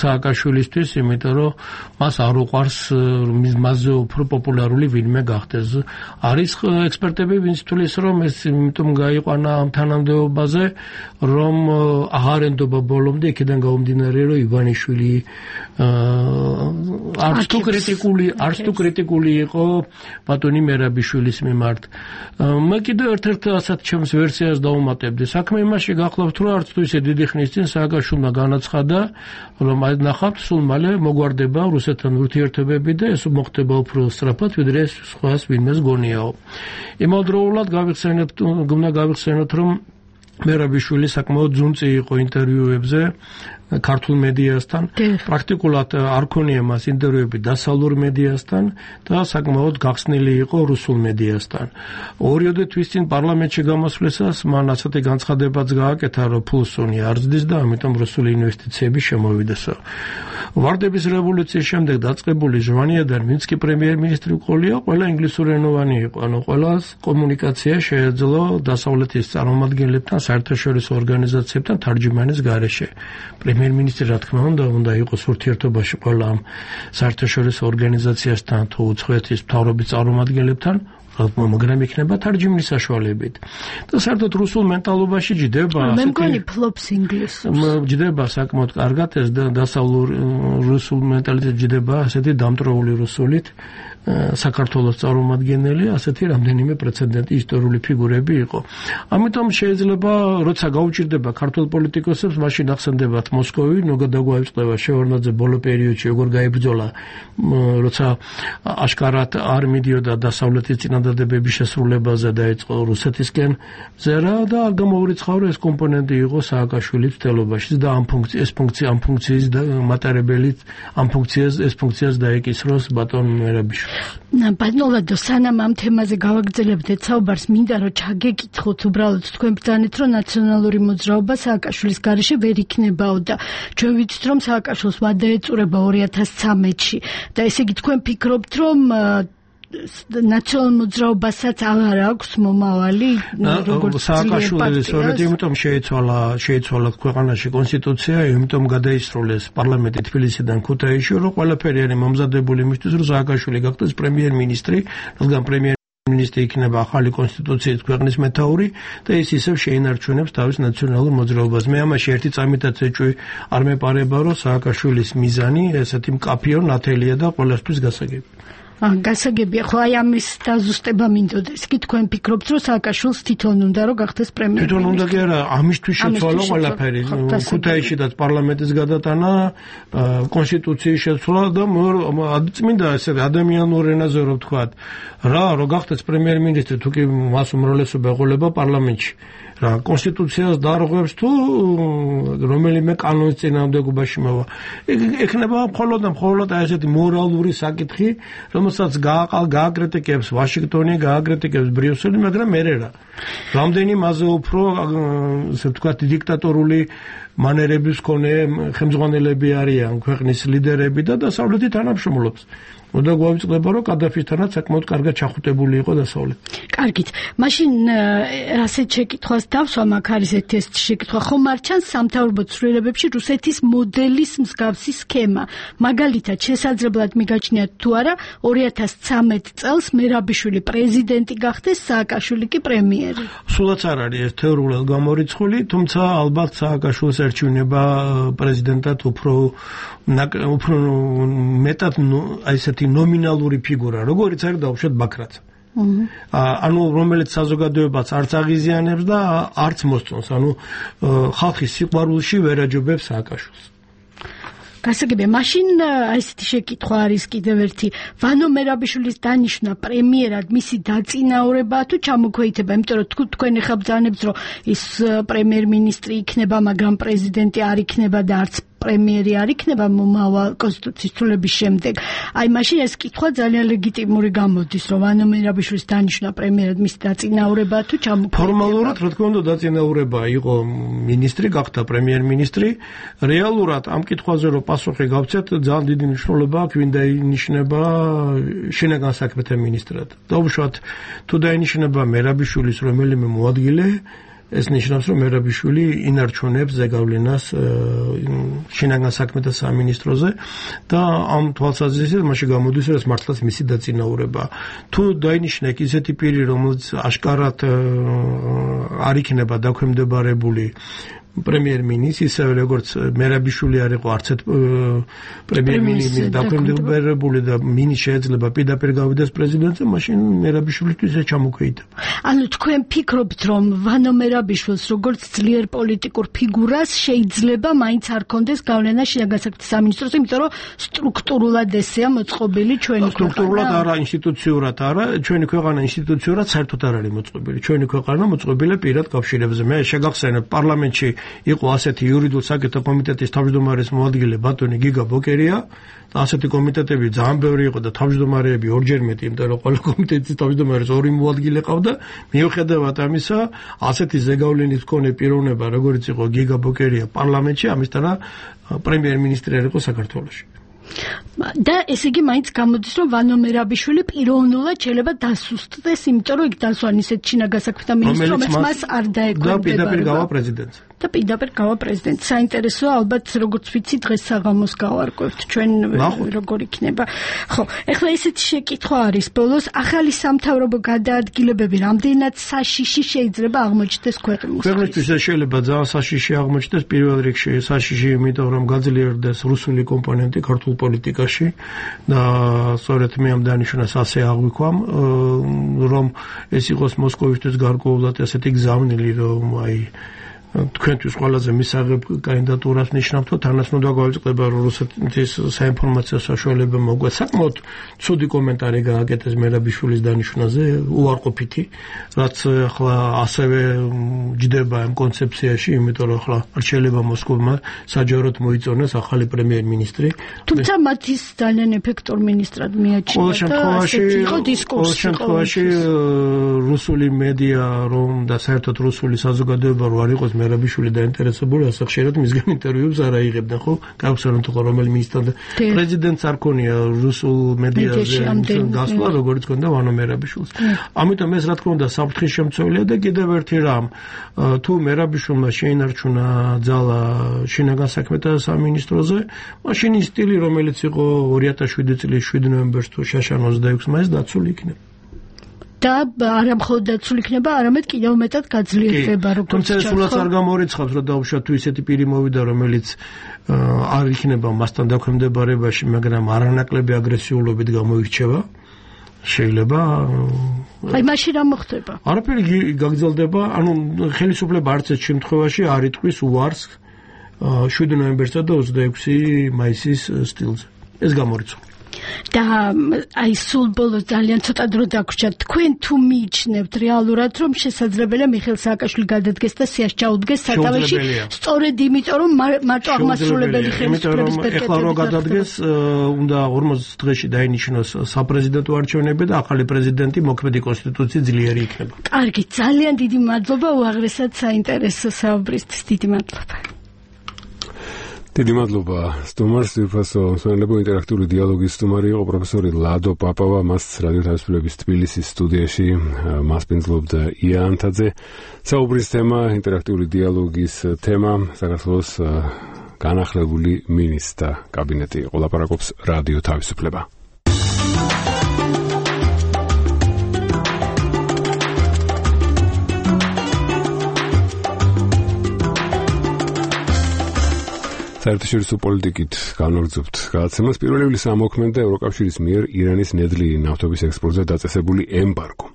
სააკაშვილისთვის, იმიტომ რომ მას არ უყვარს მასზე უფრო პოპულარული ვინმე გახდეს. არის ექსპერტები, ვინც თulis რომ ეს იმიტომ გაიყვანა ამ თანამდებობაზე, რომ აღარ ენდობა ბოლომდე იქიდან გამომდინარე, რომ ივანიშვილი არც თუ კრიტიკული, არც თუ კრიტიკული იყო ბატონი მერაბიშვილის მიმართ. მე კიდევ ერთ-ერთ ასეთ ჩემს ვერსიას დავუმატებდი. საქმე იმაში გახლავთ, რომ არც თუ ისე დიდი ხნის წინ სააკაშვილმა განაცხადა, რომ აი ნახავთ, სულ მალე მოგვარდება რუსეთთან ურთიერთობები და ეს მოხდება უფრო სწრაფად, ვიდრე ეს სხვას ვინმეს გონიაო. იმავდროულად გავიხსენებთ, გმნა გავიხსენოთ, რომ მერაბიშვილი საკმაოდ ძუნწი იყო ინტერვიუებზე ქართულ მედიასთან, პრაქტიკულად არ ქონია მას ინტერვიუები დასავლურ მედიასთან და საკმაოდ გახსნილი იყო რუსულ მედიასთან. ორიოდე თვის წინ პარლამენტში გამოსვლისას მან ასეთი განცხადებაც გააკეთა, რომ ფულსონი არ ზრდის და ამიტომ რუსული ინვესტიციები შემოვიდესო. ვარდების რევოლუციის შემდეგ დაწყებული ჟვანიადან, ვინც კი პრემიერ-მინისტრი ყოლია, ყველა ინგლისურენოვანი იყო, ანუ ყველას კომუნიკაცია შეეძლო დასავლეთის წარმომადგენლებთან, საერთაშორისო ორგანიზაციებთან თარჯიმანის გარეშე. პრემიერ-მინისტრი რა თქმა უნდა, უნდა იყოს ურთიერთობაში ყველა ამ საერთაშორისო ორგანიზაციასთან თუ უცხოეთის მთავრობის წარმომადგენლებთან, მაგრამ იქნება თარჯიმნის საშუალებით. და საერთოდ რუსულ მენტალობაში ჯდება მე მგონი ფლობს ინგლისურს. ჯდება საკმაოდ კარგად ეს დასავლურ რუსულ მენტალიტეტი ჯდება ასეთი დამტრეული რუსულით. საქართველოს წარმომადგენელი ასეთი რამდენიმე პრეცედენტი ისტორიული ფიგურები იყო. ამიტომ შეიძლება როცა გაუჭირდება ქართულ პოლიტიკოსებს, მაშინ ახსენდებათ მოსკოვი, ნოგადაგვაიწყდება შევარდნაძე ბოლო პერიოდში როგორ გაიბრძოლა, როცა აშკარად არ მიდიოდა დასავლეთის წინადადებების შესრულებაზე და ეწყო რუსეთისკენ ზერა და არ გამოურიცხავა, რომ ეს კომპონენტი იყო სააკაშვილის მცდელობაში და ამ ფუნქცია ეს ფუნქცია ამ ფუნქციის მატარებელით ამ ფუნქციას ეს ფუნქციას დაეკისროს ბატონ მერაბიშვილი. ბატონო, სანამ ამ თემაზე გავაგრძელებდეთ საუბარს, მინდა რომ ჩაგეკითხოთ უბრალოდ თქვენ ბრძანეთ, რომ ნაციონალური მოძრაობა სააკაშვილის გარეშე ვერ იქნებაო და ჩვენ ვიცით, რომ სააკაშვილს ვადა ეწურება ორი ათას ცხრამეტში და ესე იგი თქვენ ფიქრობთ, რომ ნაციონალურ მოძრაობასაც აღარ აქვს მომავალი როგორც სააკაშვილის სწორედ იმიტომ შეიცვალა შეიცვალა ქვეყანაში კონსტიტუცია, იმიტომ გადაისროლეს პარლამენტი თბილისიდან ქუთაისში, რომ ყველაფერი არის მომზადებული იმისთვის, რომ სააკაშვილი გახდეს პრემიერ-მინისტრი, რადგან პრემიერ მინისტრი იქნება ახალი კონსტიტუციის ქვეყნის მეთაური და ის ისევ შეინარჩუნებს თავის ნაციონალურ მოძრაობას. მე ამაში ერთი წამითაც ეჭვი არ მეპარება, რომ სააკაშვილის მიზანი ესეთი მკაფიო ნათელია და ყველასთვის გასაგები. გასაგებია, ხო აი ამის დაზუსტება მინდოდა. ის კი თქვენ ფიქრობთ, რომ სააკაშვილს თვითონ უნდა რომ გახდეს პრემიერ-მინისტრი? თვითონ უნდა კი არა, ამისთვის შეცვალა ყველაფერი. ქუთაისშიც პარლამენტის გადატანა, კონსტიტუციის შეცვლა და წმინდა ესე ადამიანურ ენაზე რო ვთქვათ, რა რო გახდეს პრემიერ-მინისტრი, თუ კი მას უმრავლესობა ეყოლება პარლამენტში. რა კონსტიტუციას დაარღვევს თუ რომელიმე კანონის წინააღმდეგობაში მოვა. ეხნება მხოლოდ და მხოლოდ აი ესეთი მორალური საკითხი, რომელსაც გააყალ გააკრიტიკებს ვაშინგტონი, გააკრიტიკებს ბრიუსელი, მაგრამ მე რა. რამდენი მასზე უფრო ესე ვთქვათ დიქტატორული მანერების მქონე ხელმძღვანელები არიან ქვეყნის ლიდერები და დასავლეთი თანამშრომლობს. უნდა გვავიწყდება, რომ კადაფისთანაც საკმაოდ კარგად ჩახუტებული იყო დასავლეთი. კარგით. მაშინ ასეთ შეკითხვას დავსვა, მაგ არის ერთი ეს შეკითხვა. ხომ არ ჩანს სამთავრობო ცვლილებებში რუსეთის მოდელის მსგავსი სქემა? მაგალითად, შესაძლებლად მიგაჩნიათ თუ არა, ორი ათას ცხრამეტ წელს მერაბიშვილი პრეზიდენტი გახდეს, სააკაშვილი კი პრემიერი. სულაც არ არის ეს თეორიულად გამორიცხული, თუმცა ალბათ სააკაშვილს ერჩივნება პრეზიდენტად უფრო უფრო მეტად აი ესეთი ნომინალური ფიგურა, როგორიც არის დაუშვათ ბაქრაძე. ანუ რომელიც საზოგადოებას არც აღიზიანებს და არც მოსწონს, ანუ ხალხის სიყვარულში ვერ აჯობებს სააკაშვილს. გასაგებია, მაშინ აი ესეთი შეკითხვა არის კიდევ ერთი. ვანო მერაბიშვილის დანიშვნა პრემიერად მისი დაწინაურებაა თუ ჩამოქვეითება? იმიტომ რომ თქვენ ახლა ბრძანებთ, რომ ის პრემიერ-მინისტრი იქნება, მაგრამ პრეზიდენტი არ იქნება და არც პრემიერი არ იქნება მომავალ კონსტიტუციის ცვლილების შემდეგ. აი მაშინ ეს კითხვა ძალიან ლეგიტიმური გამოდის, რომ ვანო მერაბიშვილის დანიშვნა პრემიერად მისი დაწინაურება თუ ჩამოყალიბება. ფორმალურად რა თქმა უნდა დაწინაურება იყო მინისტრი, გახდა პრემიერ-მინისტრი. რეალურად ამ კითხვაზე რომ პასუხი გავცეთ, ძალიან დიდი მნიშვნელობა აქვს ვინ დაინიშნება შინაგან საქმეთა მინისტრად. დაუშვათ თუ დაინიშნება მერაბიშვილის რომელიმე მოადგილე, ეს ნიშნავს რომ მერაბიშვილი ინარჩუნებს ზეგავლენას შინაგან საქმეთა სამინისტროზე და ამ თვალსაზრისით მაშინ გამოდის რომ ეს მართლაც მისი დაწინაურება. თუ დაინიშნა ისეთი პირი რომელიც აშკარად არ იქნება დაქვემდებარებული პრემიერ-მინისტრი, ისე როგორც მერაბიშვილი არ იყო არც ერთ პრემიერ-მინისტრის დაქვემდებარებული და მინი შეიძლება პირდაპირ გავიდეს პრეზიდენტზე, მაშინ მერაბიშვილისთვის ეს ჩამოქვეითება. ანუ თქვენ ფიქრობთ, რომ ვანო მერაბიშვილს როგორც ძლიერ პოლიტიკურ ფიგურას შეიძლება მაინც არ კონდეს გავლენა შინაგან საქმეთა სამინისტროზე, იმიტომ რომ სტრუქტურულად ესეა მოწყობილი ჩვენი ქვეყანა. სტრუქტურულად არა, ინსტიტუციურად არა, ჩვენი ქვეყანა ინსტიტუციურად საერთოდ არ არის მოწყობილი. ჩვენი ქვეყანა მოწყობილია პირად კავშირებზე. მე შეგახსენებ პარლამენტში იყო ასეთი იურიდიულ საკითხთა კომიტეტის თავმჯდომარის მოადგილე ბატონი გიგა ბოკერია და ასეთი კომიტეტები ძალიან ბევრი იყო და თავმჯდომარეები ორჯერ მეტი, იმიტომ რომ ყველა კომიტეტის თავმჯდომარის ორი მოადგილე ყავდა. მიუხედავად ამისა, ასეთი ზეგავლენის მქონე პიროვნება, როგორც იყო გიგა ბოკერია პარლამენტში, ამისთანა პრემიერ-მინისტრი არ იყო საქართველოში. და ესე იგი მაინც გამოდის რომ ვანო მერაბიშვილი პიროვნულად შეიძლება დასუსტდეს, იმიტომ რომ იქ დასვან ისეთ შინაგან საქმეთა მინისტრი, რომელიც მას არ დაეკვირდება. და პირდაპირ გავა პრეზიდენტს. და პირდაპირ გავა პრეზიდენტს. საინტერესოა ალბათ როგორც ვიცი დღეს საღამოს გავარკვევთ ჩვენ როგორ იქნება. ხო, ეხლა ესეთი შეკითხვა არის ბოლოს, ახალი სამთავრობო გადაადგილებები რამდენად საშიში შეიძლება აღმოჩნდეს ქვეყნისთვის? ქვეყნისთვის შეიძლება ძალიან საშიში აღმოჩნდეს, პირველ რიგში საშიში, იმიტომ რომ გაძლიერდეს რუსული კომპონენტი ქართულ პოლიტიკაში და სწორედ მე ამ დანიშნულებას ასე აღვიქვამ, რომ ეს იყოს მოსკოვისთვის გარკვეულად ესეთი გზავნილი, რომ აი თქვენთვის ყველაზე მისაღებ კანდიდატურას ნიშნავთ, თანაც უნდა გავიწყდება რომ რუსეთის საინფორმაციო საშუალება მოგვეც საკმაოდ ცუდი კომენტარი გააკეთეს მერაბიშვილის დანიშვნაზე, უარყოფითი, რაც ახლა ასევე ჯდება ამ კონცეფციაში, იმიტომ რომ ახლა არ შეიძლება მოსკოვმა საჯაროდ მოიწონოს ახალი პრემიერ-მინისტრი. თუმცა მათ ის ძალიან ეფექტურ მინისტრად მიაჩნია და ასეთი იყო დისკურსი. ყოველ შემთხვევაში რუსული მედია რომ და საერთოდ რუსული საზოგადოება რო არ იყოს მერაბიშვილი დაინტერესებული, ასე ხშირად მისგან ინტერვიუებს არ აიღებდნენ, ხო? გავხსენოთ თუ რომელი მინისტრად პრეზიდენტს არ ქონია რუსულ მედიაზე გასვლა, როგორც ქონდა ვანო მერაბიშვილს. ამიტომ ეს რა თქმა უნდა საფრთხის შემცველია და კიდევ ერთი რამ, თუ მერაბიშვილმა შეინარჩუნა ძალა შინაგან საქმეთა სამინისტროზე, მაშინ ის სტილი, რომელიც იყო ორი ათას შვიდი წლის შვიდი ნოემბერს თუ შაშან ოცდაექვსს მაისს დაცული იქნება. და არა მხოლოდ დაცული იქნება, არამედ კიდევ მეტად გაძლიერდება, როგორც თუმცა სულაც არ გამორიცხავს, რომ დაუშვათ თუ ისეთი პირი მოვიდა, რომელიც არ იქნება მასთან დაქვემდებარებაში, მაგრამ არანაკლები აგრესიულობით გამოირჩევა, შეიძლება აი მაშინ რა მოხდება? არაფერი გაგრძელდება, ანუ ხელისუფლება არც ერთ შემთხვევაში არ იტყვის უარს შვიდი ნოემბერსა და ოცდაექვსი მაისის სტილზე. ეს გამორიცხავს. და აი სულ ბოლოს ძალიან ცოტა დრო დაგვრჩა, თქვენ თუ მიიჩნევთ რეალურად რომ შესაძლებელია მიხეილ სააკაშვილი გადადგეს და სიას ჩაუდგეს სათავეში, სწორედ იმიტომ რომ მარტო აღმასრულებელი ხელისუფლების პერპეტუიტეტი. ეხლა რო გადადგეს, უნდა ორმოცდ დღეში დაინიშნოს საპრეზიდენტო არჩევნები და ახალი პრეზიდენტი მოქმედი კონსტიტუციით ძლიერი იქნება. კარგი, ძალიან დიდი მადლობა უაღრესად საინტერესო საუბრისთვის. დიდი მადლობა. დიდი მადლობა სტუმარს, ძირფასო მსმენელებო, ინტერაქტიული დიალოგის სტუმარი იყო პროფესორი ლადო პაპავა, მას რადიო თავისუფლების თბილისის სტუდიაში მასპინძლობდა ია ანთაძე. საუბრის თემა, ინტერაქტიული დიალოგის თემა, საქართველოს განახლებული მინისტრთა კაბინეტი იყო. ლაპარაკობს რადიო თავისუფლება. საერთაშორისო პოლიტიკით განვაგრძობთ გადაცემას. პირველი ივლისის ამოქმედდა ევროკავშირის მიერ ირანის ნედლი ნავთობის ექსპორტზე დაწესებული ემბარგო.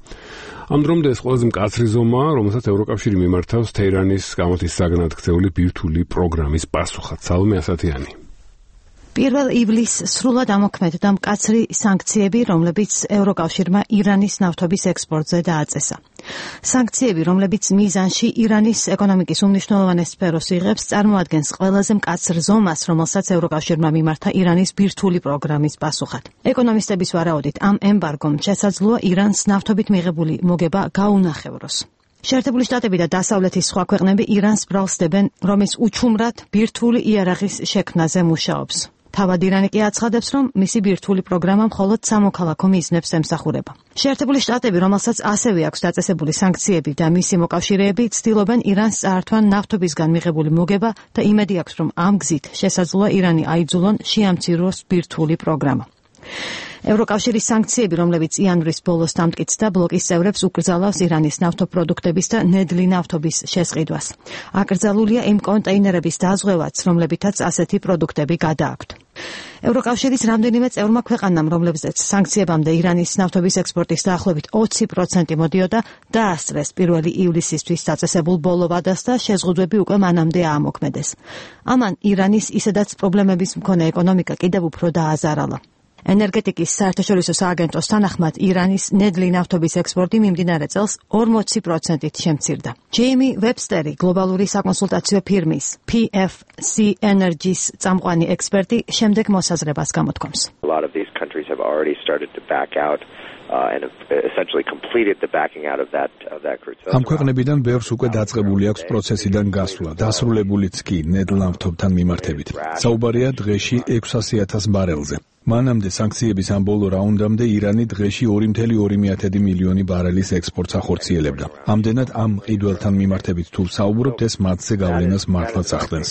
ამ დრომდე ეს ყველაზე მკაცრი ზომაა, რომელსაც ევროკავშირი მიმართავს თეირანის გამოცდის საგანად ქცეული ბირთვული პროგრამის პასუხად. სალომე ასათიანი. პირველ ივლისს სრულად ამოქმედდა მკაცრი სანქციები, რომლებიც ევროკავშირმა ირანის ნავთობის ექსპორტზე დააწესა. სანქციები, რომლებიც მიზანში ირანის ეკონომიკის უმნიშვნელოვანეს სფეროს იღებს, წარმოადგენს ყველაზე მკაცრ ზომას, რომელსაც ევროკავშირმა მიმართა ირანის ბირთვული პროგრამის პასუხად. ეკონომისტების ვარაუდით, ამ ემბარგომ შესაძლოა ირანს ნავთობით მიღებული მოგება გაუნახევროს. შეერთებული შტატები და დასავლეთის სხვა ქვეყნები ირანს ბრალსდებენ, რომის უჩუმრად ბირთვული იარაღის შექმნაზე მუშაობს. თავად ირანი კი აცხადებს, რომ მისი ბირთვული პროგრამა მხოლოდ სამოქალაქო მიზნებს ემსახურება. შეერთებული შტატები, რომელსაც ასევე აქვს დაწესებული სანქციები და მისი მოკავშირეები, ცდილობენ ირანს წაართვან ნავთობისგან მიღებული მოგება და იმედი აქვს, რომ ამ გზით შესაძლოა ირანი აიძულონ შეამციროს ბირთვული პროგრამა. ევროკავშირის სანქციები, რომლებიც იანვრის ბოლოს დამტკიცდა, ბლოკის წევრებს უკრძალავს ირანის ნავთობპროდუქტების და ნედლი ნავთობის შესყიდვას. აკრძალულია იმ კონტეინერების დაზღვევაც, რომლებითაც ასეთი პროდუქტები გადააქვთ. ევროკავშირის რამდენიმე წევრმა ქვეყანამ, რომლებზეც სანქციებამდე ირანის ნავთობის ექსპორტის დაახლოებით ოცი პროცენტი მოდიოდა, დაასწრეს პირველი ივლისისთვის დაწესებულ ბოლო ვადას და შეზღუდვები უკვე მანამდე აამოქმედეს. ამან ირანის ისედაც პრობლემების მქონე ეკონომიკა კიდევ უფრო დააზარალა. ენერგეტიკის საერთაშორისო სააგენტოს თანახმად ირანის ნედლი ნავთობის ექსპორტი მიმდინარე წელს ორმოცი პროცენტით შემცირდა. ჯეიმი ვებსტერი, გლობალური საკონსულტაციო ფირმის P F C Energy-ს წამყვანი ექსპერტი, შემდეგ მოსაზრებას გამოთქვამს. A lot of these countries have already started to back out uh, and have essentially completed the backing out of that of that crude. ამ ქვეყნებიდან ბევრს უკვე დაწყებული აქვს პროცესიდან გასვლა, დასრულებულიც კი ნედლ ნავთობთან მიმართებით. საუბარია დღეში ექვსასი ათას ბარელზე. მანამდე სანქციების ამ ბოლო რაუნდამდე ირანი დღეში ორი კoma ორი მილიონი ბარელის ექსპორტს ახორციელებდა. ამდენად ამ ყიდველთან მიმართებით თუ საუბრობთ, ეს მათზე გავლენას მართლაც ახდენს.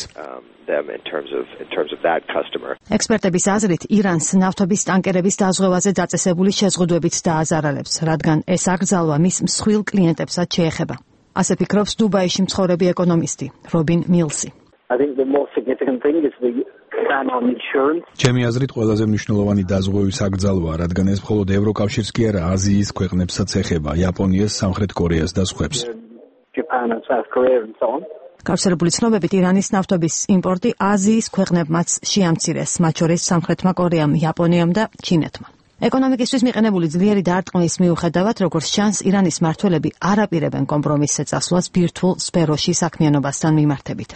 ექსპერტების აზრით, ირანს ნავთობის ტანკერების დაზღვევაზე დაწესებული შეზღუდვებით დააზარალებს, რადგან ეს აკრძალვა მის მსხვილ კლიენტებსაც შეეხება. ასე ფიქრობს დუბაიში მცხოვრები ეკონომისტი რობინ მილსი. I think the more significant thing is the ban on insurance. ჩემი აზრით ყველაზე მნიშვნელოვანი დაზღვევის აკრძალვა, რადგან ეს მხოლოდ ევროკავშირს კი არა, აზიის ქვეყნებსაც ეხება, იაპონიას, სამხრეთ კორეას და სხვებს. Japan and South Korea and so on. გავრცელებული ცნობებით ირანის ნავთობის იმპორტი აზიის ქვეყნებმაც შეამცირეს, მათ შორის სამხრეთმა კორეამ, იაპონიამ და ჩინეთმა. ეკონომიკისთვის მიყენებული ძლიერი დარტყმის მიუხედავად, როგორც ჩანს, ირანის მმართველები არ აპირებენ კომპრომისზე წასვლას ბირთვულ სფეროში საქმიანობასთან მიმართებით.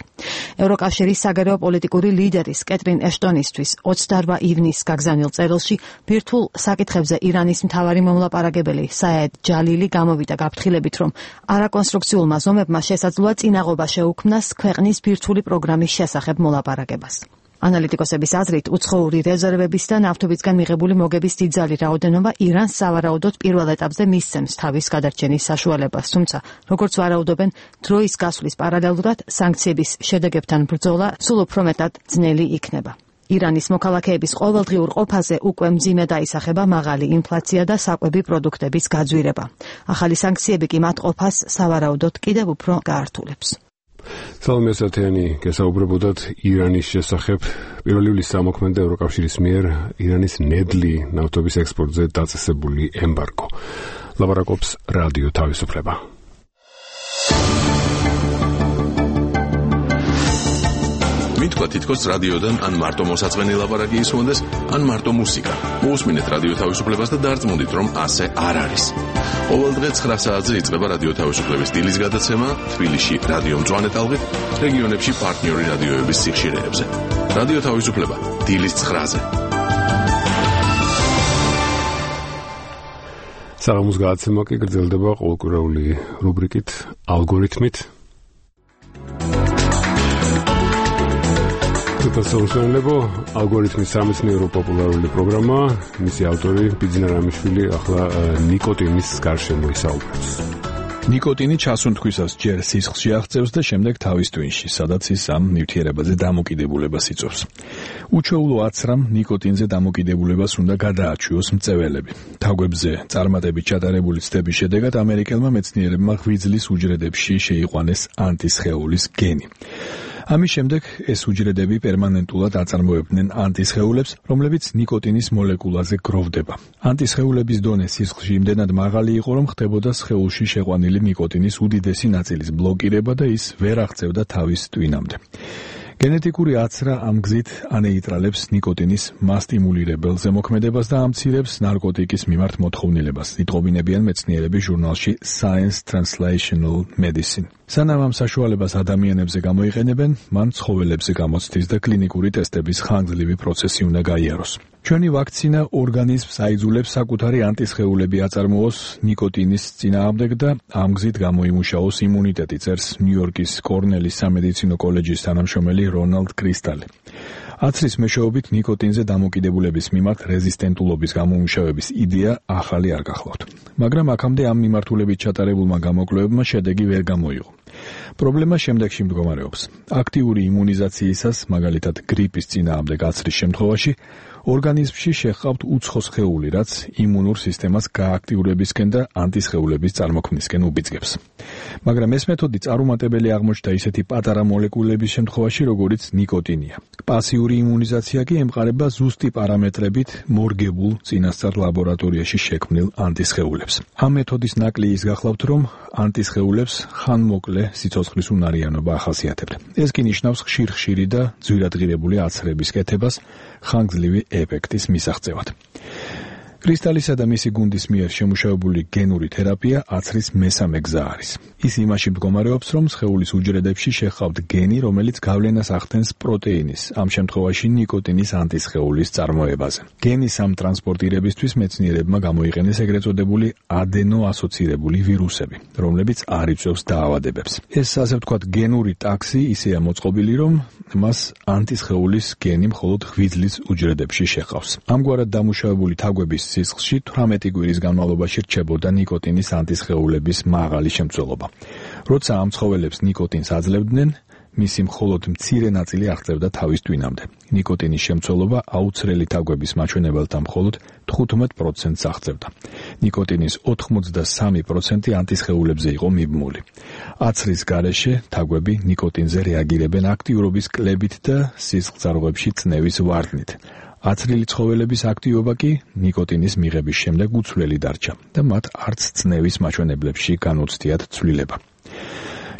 ევროკავშირის საგარეო პოლიტიკური ლიდერის კეტრინ ეშტონისთვის ოცდაოთხ ივნისს გაგზავნილ წერილში ბირთვულ საკითხებზე ირანის მთავარი მომლაპარაკებელი საედ ჯალილი გამოვიდა გაფრთხილებით, რომ არაკონსტრუქციულმა ზომებმა შესაძლოა წინაღობა შეუქმნას ქვეყნის ბირთვული პროგრამის შესახებ მოლაპარაკებას. ანალიტიკოსების აზრით, უცხოური რეზერვების და ნავთობისგან მიღებული მოგების დიდძალი რაოდენობა ირანს სავარაუდოდ პირველ ეტაპზე მისცემს თავის გადარჩენის საშუალებას, თუმცა, როგორც ვარაუდობენ, დროის გასვლის პარალელურად სანქციების შედეგებთან ბრძოლა სულ უფრო მეტად ძნელი იქნება. ირანის მოქალაქეების ყოველდღიურ ყოფაზე უკვე მძიმე დაისახება მაღალი ინფლაცია და საკვები პროდუქტების გაძვირება. ახალი სანქციები კი მათ ყოფას სავარაუდოდ კიდევ უფრო გაართულებს. სალომე სათიანი გესაუბრებოდათ ირანის შესახებ. პირველი ივლისს ამოქმედა ევროკავშირის მიერ ირანის ნედლი ნავთობის ექსპორტზე დაწესებული ემბარგო. ლაპარაკობს რადიო თავისუფლება. მითქვა თითქოს რადიოდან ან მარტო მოსაწყენი ლაპარაკი ისმოდეს, ან მარტო მუსიკა. მოусმინეთ რადიო თავისუფლებას და დარწმუნდით, რომ ასე არ არის. ყოველ დღე ცხრა საათზე იწყება რადიო თავისუფლების დილის გადაცემა თბილისში რადიო მწვანე ტალღით, რეგიონებში პარტნიორი რადიოების სიხშირეებზე. რადიო თავისუფლება დილის ცხრაზე. საღამოს გადაცემა კი გრძელდება ყოველკვირეული რუბრიკით ალგორითმით. პროფესორსონლებო ალგორითმის სამეცნიერო პოპულარული პროგრამა, მისი ავტორი ბიძინა რამიშვილი ახლა ნიკოტინის გარშემო ისაუბრებს. ნიკოტინი ჩასუნთქვისას ჯერ სისხლში აღწევს და შემდეგ თავის ტვინში, სადაც ის ამ ნივთიერებაზე დამოკიდებულებას იწვევს. უჩვეულო აცრამ ნიკოტინზე დამოკიდებულებას უნდა გადააჩვიოს მწველები. თაგვებზე წარმატებით ჩატარებული ცდების შედეგად ამერიკელმა მეცნიერებმა ღვიძლის უჯრედებში შეიყვანეს ანტისხეულის გენი. ამის შემდეგ ეს უჯრედები პერმანენტულად აწარმოებდნენ ანტისხეულებს, რომლებიც ნიკოტინის მოლეკულაზე გროვდება. ანტისხეულების დონე სისხლში იმდენად მაღალი იყო, რომ ხდებოდა სხეულში შეყვანილი ნიკოტინის უდიდესი ნაწილის ბლოკირება და ის ვერ აღწევდა თავის ტვინამდე. გენეტიკური აცრა ამ გზით ანეიტრალებს ნიკოტინის მასტიმულირებელ ზემოქმედებას და ამცირებს ნარკოტიკის მიმართ მოთხოვნილებას, იტყობინებიან მეცნიერები ჟურნალში Science Translational Medicine. სანამ ამ საშუალებას ადამიანებზე გამოიყენებენ, მან ცხოველებზე გამოცდის და კლინიკური ტესტების ხანგრძლივი პროცესი უნდა გაიაროს. ჩვენი ვაქცინა ორგანიზმს აიძულებს საკუთარი ანტისხეულები აწარმოოს ნიკოტინის წინააღმდეგ და ამ გზით გამოიმუშაოს იმუნიტეტი, წერს ნიუ-იორკის კორნელის სამედიცინო კოლეჯის თანამშრომელი რონალდ კრისტალი. აცრის მეშვეობით ნიკოტინზე დამოკიდებულების მიმართ რეზისტენტულობის გამომუშავების იდეა ახალი არ გახლავთ. მაგრამ აქამდე ამ მიმართულებით ჩატარებულმა გამოკვლევებმა შედეგი ვერ გამოიღო. პრობლემა შემდეგში მდგომარეობს. აქტიური იმუნიზაციისას, მაგალითად გრიპის წინააღმდეგ აცრის შემთხვევაში, ორგანიზმში შეჰყავთ უცხო სხეული, რაც იმუნურ სისტემას გააქტიურებისკენ და ანტისხეულების წარმოქმნისკენ უბიძგებს. მაგრამ ეს მეთოდი წარუმატებელი აღმოჩნდა ისეთი პატარა მოლეკულების შემთხვევაში, როგორიც ნიკოტინია. პასიური იმუნიზაცია კი ემყარება ზუსტი პარამეტრებით მორგებულ წინასწარ ლაბორატორიაში შექმნილ ანტისხეულებს. ამ მეთოდის ნაკლი ის გახლავთ, რომ ანტისხეულებს ხანმოკლე სიცოცხლის უნარიანობა ახასიათებთ. ეს კი ნიშნავს ხშირ-ხშირი და ძვირადღირებული აცრების კეთებას ხანგრძლივი ეფექტის მისაღწევად. კრისტალისა და მისი გუნდის მიერ შემუშავებული გენური თერაპია აცრის მესამე გზა არის. ის იმაში მდგომარეობს, რომ სხეულის უჯრედებში შეჰყავთ გენი, რომელიც გავლენას ახდენს პროტეინის, ამ შემთხვევაში ნიკოტინის ანტისხეულის წარმოებაზე. გენის ამ ტრანსპორტირებისთვის მეცნიერებმა გამოიყენეს ეგრეთ წოდებული ადენო-ასოცირებული ვირუსები, რომლებიც არ იწვევს დაავადებებს. ეს ასე ვთქვათ გენური ტაქსი ისეა მოწყობილი, რომ მას ანტისხეულის გენი მხოლოდ ღვიძლის უჯრედებში შეჰყავს. ამგვარად დამუშავებული თაგვების სისხლში თვრამეტი კვირის განმავლობაში რჩებოდა ნიკოტინის ანტისხეულების მაღალი შემცველობა. როცა ამ ცხოველებს ნიკოტინს აძლევდნენ, მისი მხოლოდ მცირე ნაწილი აღწევდა თავის ტვინამდე. ნიკოტინის შემცველობა აუცრელი თაგვების მაჩვენებელთან მხოლოდ თხუთმეტ პროცენტს აღწევდა. ნიკოტინის ოთხმოცდასამი პროცენტი ანტისხეულებზე იყო მიბმული. აცრის გარეშე თაგვები ნიკოტინზე რეაგირებენ აქტიურობის კლებით და სისხლძარღვებში წნევის ვარდნით. აცრილი ცხოველების აქტივობა კი ნიკოტინის მიღების შემდეგ უცვლელი დარჩა და მათ არც წნევის მაჩვენებლებში განუცდიათ ცვლილება.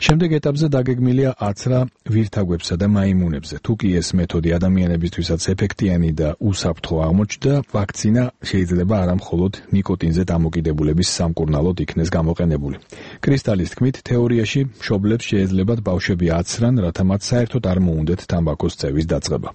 შემდეგ ეტაპზე დაგეგმილია აცრა ვირთაგვებსა და მაიმუნებზე. თუ კი ეს მეთოდი ადამიანებისთვისაც ეფექტიანი და უსაფრთხო აღმოჩნდა, ვაქცინა შეიძლება არა მხოლოდ ნიკოტინზე დამოკიდებულების სამკურნალოდ იქნეს გამოყენებული. კრისტალის თქმით, თეორიაში მშობლებს შეეძლებათ ბავშვები აცრან, რათა მათ საერთოდ არ მოუნდეთ თამბაქოს წევის დაწყება.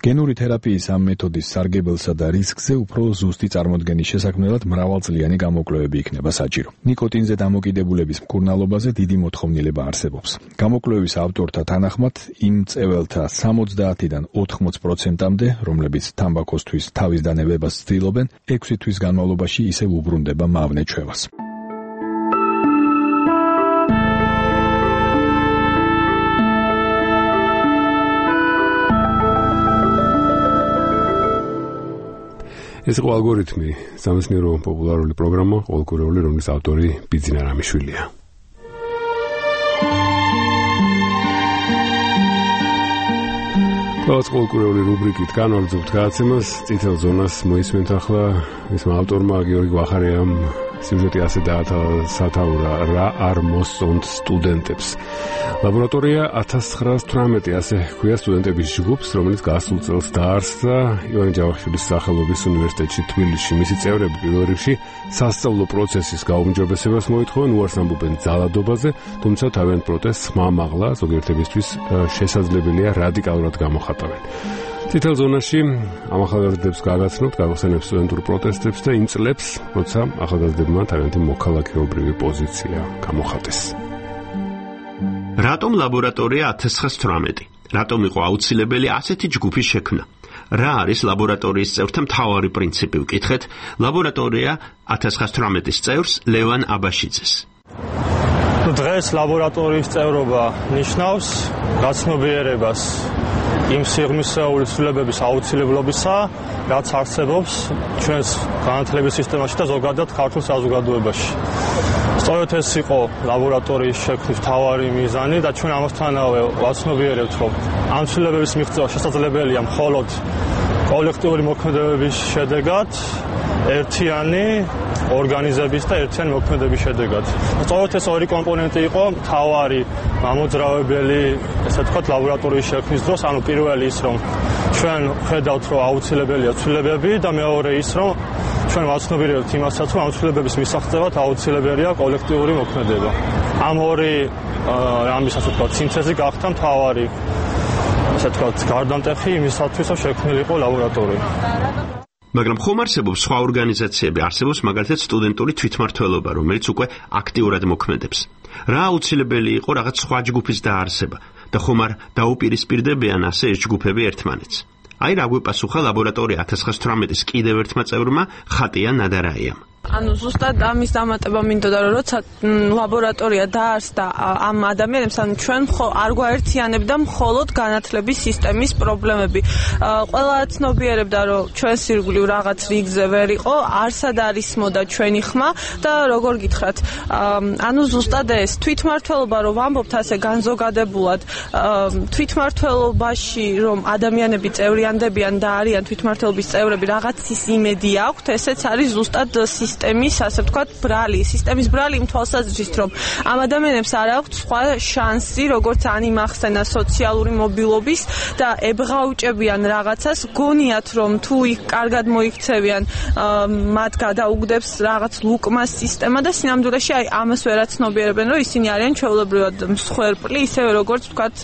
გენური თერაპიის ამ მეთოდის სარგებელსა და რისკზე უფრო ზუსტი წარმოდგენის შესაქმნელად მრავალწლიანი გამოკვლევები იქნება საჭირო. ნიკოტინზე დამოკიდებულების მკურნალობაზე დიდი მოთხოვნილება არსებობს. გამოკვლევის ავტორთა თანახმად, იმ წეველთა სამოცდაათიდან ოთხმოც პროცენტამდე, რომლებიც თამბაქოსთვის თავის დანებებას ცდილობენ, ექვსი თვის განმავლობაში ისევ უბრუნდება მავნე ჩვევას. ეს იყო ალგორითმი, სამეცნიერო პოპულარული პროგრამა, ყოველკვირეული, რომლის ავტორი ბიძინა რამიშვილია. ყოველს ყოველკვირეული რუბრიკით განვაგრძობთ გადაცემას, წითელ ზონას მოისმენთ ახლა მისმა ავტორმა გიორგი ვახარიამ სიუჟეტი ასე დაასათაურა, რა არ მოსწონთ სტუდენტებს. ლაბორატორია ათას ცხრაას თვრამეტი ასე ჰქვია სტუდენტების ჯგუფს, რომელიც გასულ წელს დაარსდა ივანე ჯავახიშვილის სახელობის უნივერსიტეტში თბილისში. მისი წევრები პირველ რიგში სასწავლო პროცესის გაუმჯობესებას მოითხოვენ, უარს ამბობენ ძალადობაზე, თუმცა თავიანთ პროტესტს ხმამაღლა ზოგიერთებისთვის შესაძლებელია რადიკალურად გამოხატავენ. წითელ ზონაში ამ ახალგაზრდებს გაგაცნობთ, გავხსენებთ სტუდენტურ პროტესტებს და იმ წლებს, როცა ახალგაზრდებმა თავიანთი მოქალაქეობრივი პოზიცია გამოხატეს. რატომ ლაბორატორია ათას ცხრაას თვრამეტი? რატომ იყო აუცილებელი ასეთი ჯგუფის შექმნა? რა არის ლაბორატორიის წევრთა მთავარი პრინციპი? ვკითხეთ ლაბორატორია ათას ცხრაას თვრამეტის წევრს ლევან აბაშიძეს. დღეს ლაბორატორიის წევრობა ნიშნავს გაცნობიერებას იმ სიღრმისეული ცვლილებების აუცილებლობისა, რაც არსებობს ჩვენს განათლების სისტემაში და ზოგადად ქართულ საზოგადოებაში. სწორედ ეს იყო ლაბორატორიის შექმნის მთავარი მიზანი და ჩვენ ამასთანავე ვაცნობიერებთ, რომ ამ ცვლილებების მიღწევა შესაძლებელია მხოლოდ კოლექტიური მოქმედებების შედეგად ერთიანი ორგანიზების და ერთიანი მოქმედების შედეგად. სწორედ ეს ორი კომპონენტი იყო მთავარი მამოძრავებელი, ესე ვთქვათ, ლაბორატორიის შექმნის დროს, ანუ პირველი ის, რომ ჩვენ ხედავთ, რომ აუცილებელია ცვლილებები და მეორე ის, რომ ჩვენ ვაცნობიერებთ იმასაც, რომ ამ ცვლილებების მისაღწევად აუცილებელია კოლექტიური მოქმედება. ამ ორი ამის ასე ვთქვათ, სინთეზი გახდა მთავარი, ასე ვთქვათ, გარდამტეხი იმისათვის, რომ შექმნილიყო ლაბორატორია. მაგრამ ხომ არსებობს სხვა ორგანიზაციები, არსებობს მაგალითად სტუდენტური თვითმმართველობა, რომელიც უკვე აქტიურად მოქმედებს. რა აუცილებელი იყო რაღაც სხვა ჯგუფის დაარსება და ხომ არ დაუპირისპირდებიან ასე ეს ჯგუფები ერთმანეთს. აი რა გვეპასუხა ლაბორატორია ათას ცხრაას თვრამეტის კიდევ ერთმა წევრმა ხატია ნადარაიამ. ანუ ზუსტად ამის დამატება მინდოდა, რომ როცა ლაბორატორია დაარსდა ამ ადამიანებს, ანუ ჩვენ არ გვაერთიანებდა მხოლოდ განათლების სისტემის პრობლემები. ყველა ცნობიერებდა, რომ ჩვენს ირგვლივ რაღაც რიგზე ვერ იყო, არსად არის მოდა ჩვენი ხმა და როგორ გითხრათ, ანუ ზუსტად ეს თვითმმართველობა, რომ ვამბობთ ასე განზოგადებულად, თვითმმართველობაში რომ ადამიანები წევრიანდებიან და არიან თვითმმართველობის წევრები, რაღაცის იმედი აქვთ, ესეც არის ზუსტად სისტემის, ასე ვთქვათ, ბრალი, სისტემის ბრალი იმ თვალსაზრისით, რომ ამ ადამიანებს არ აქვთ სხვა შანსი, როგორც ან იმახსენა სოციალური მობილობის და ებღაუჭებიან რაღაცას, გონიათ, რომ თუ იქ კარგად მოიქცევიან, მათ გადაუგდებს რაღაც ლუკმას სისტემა და სინამდვილეში აი ამას ვერაცნობიერებენ, რომ ისინი არიან ჩვეულებრივად მსხვერპლი, ისევე როგორც ვთქვათ,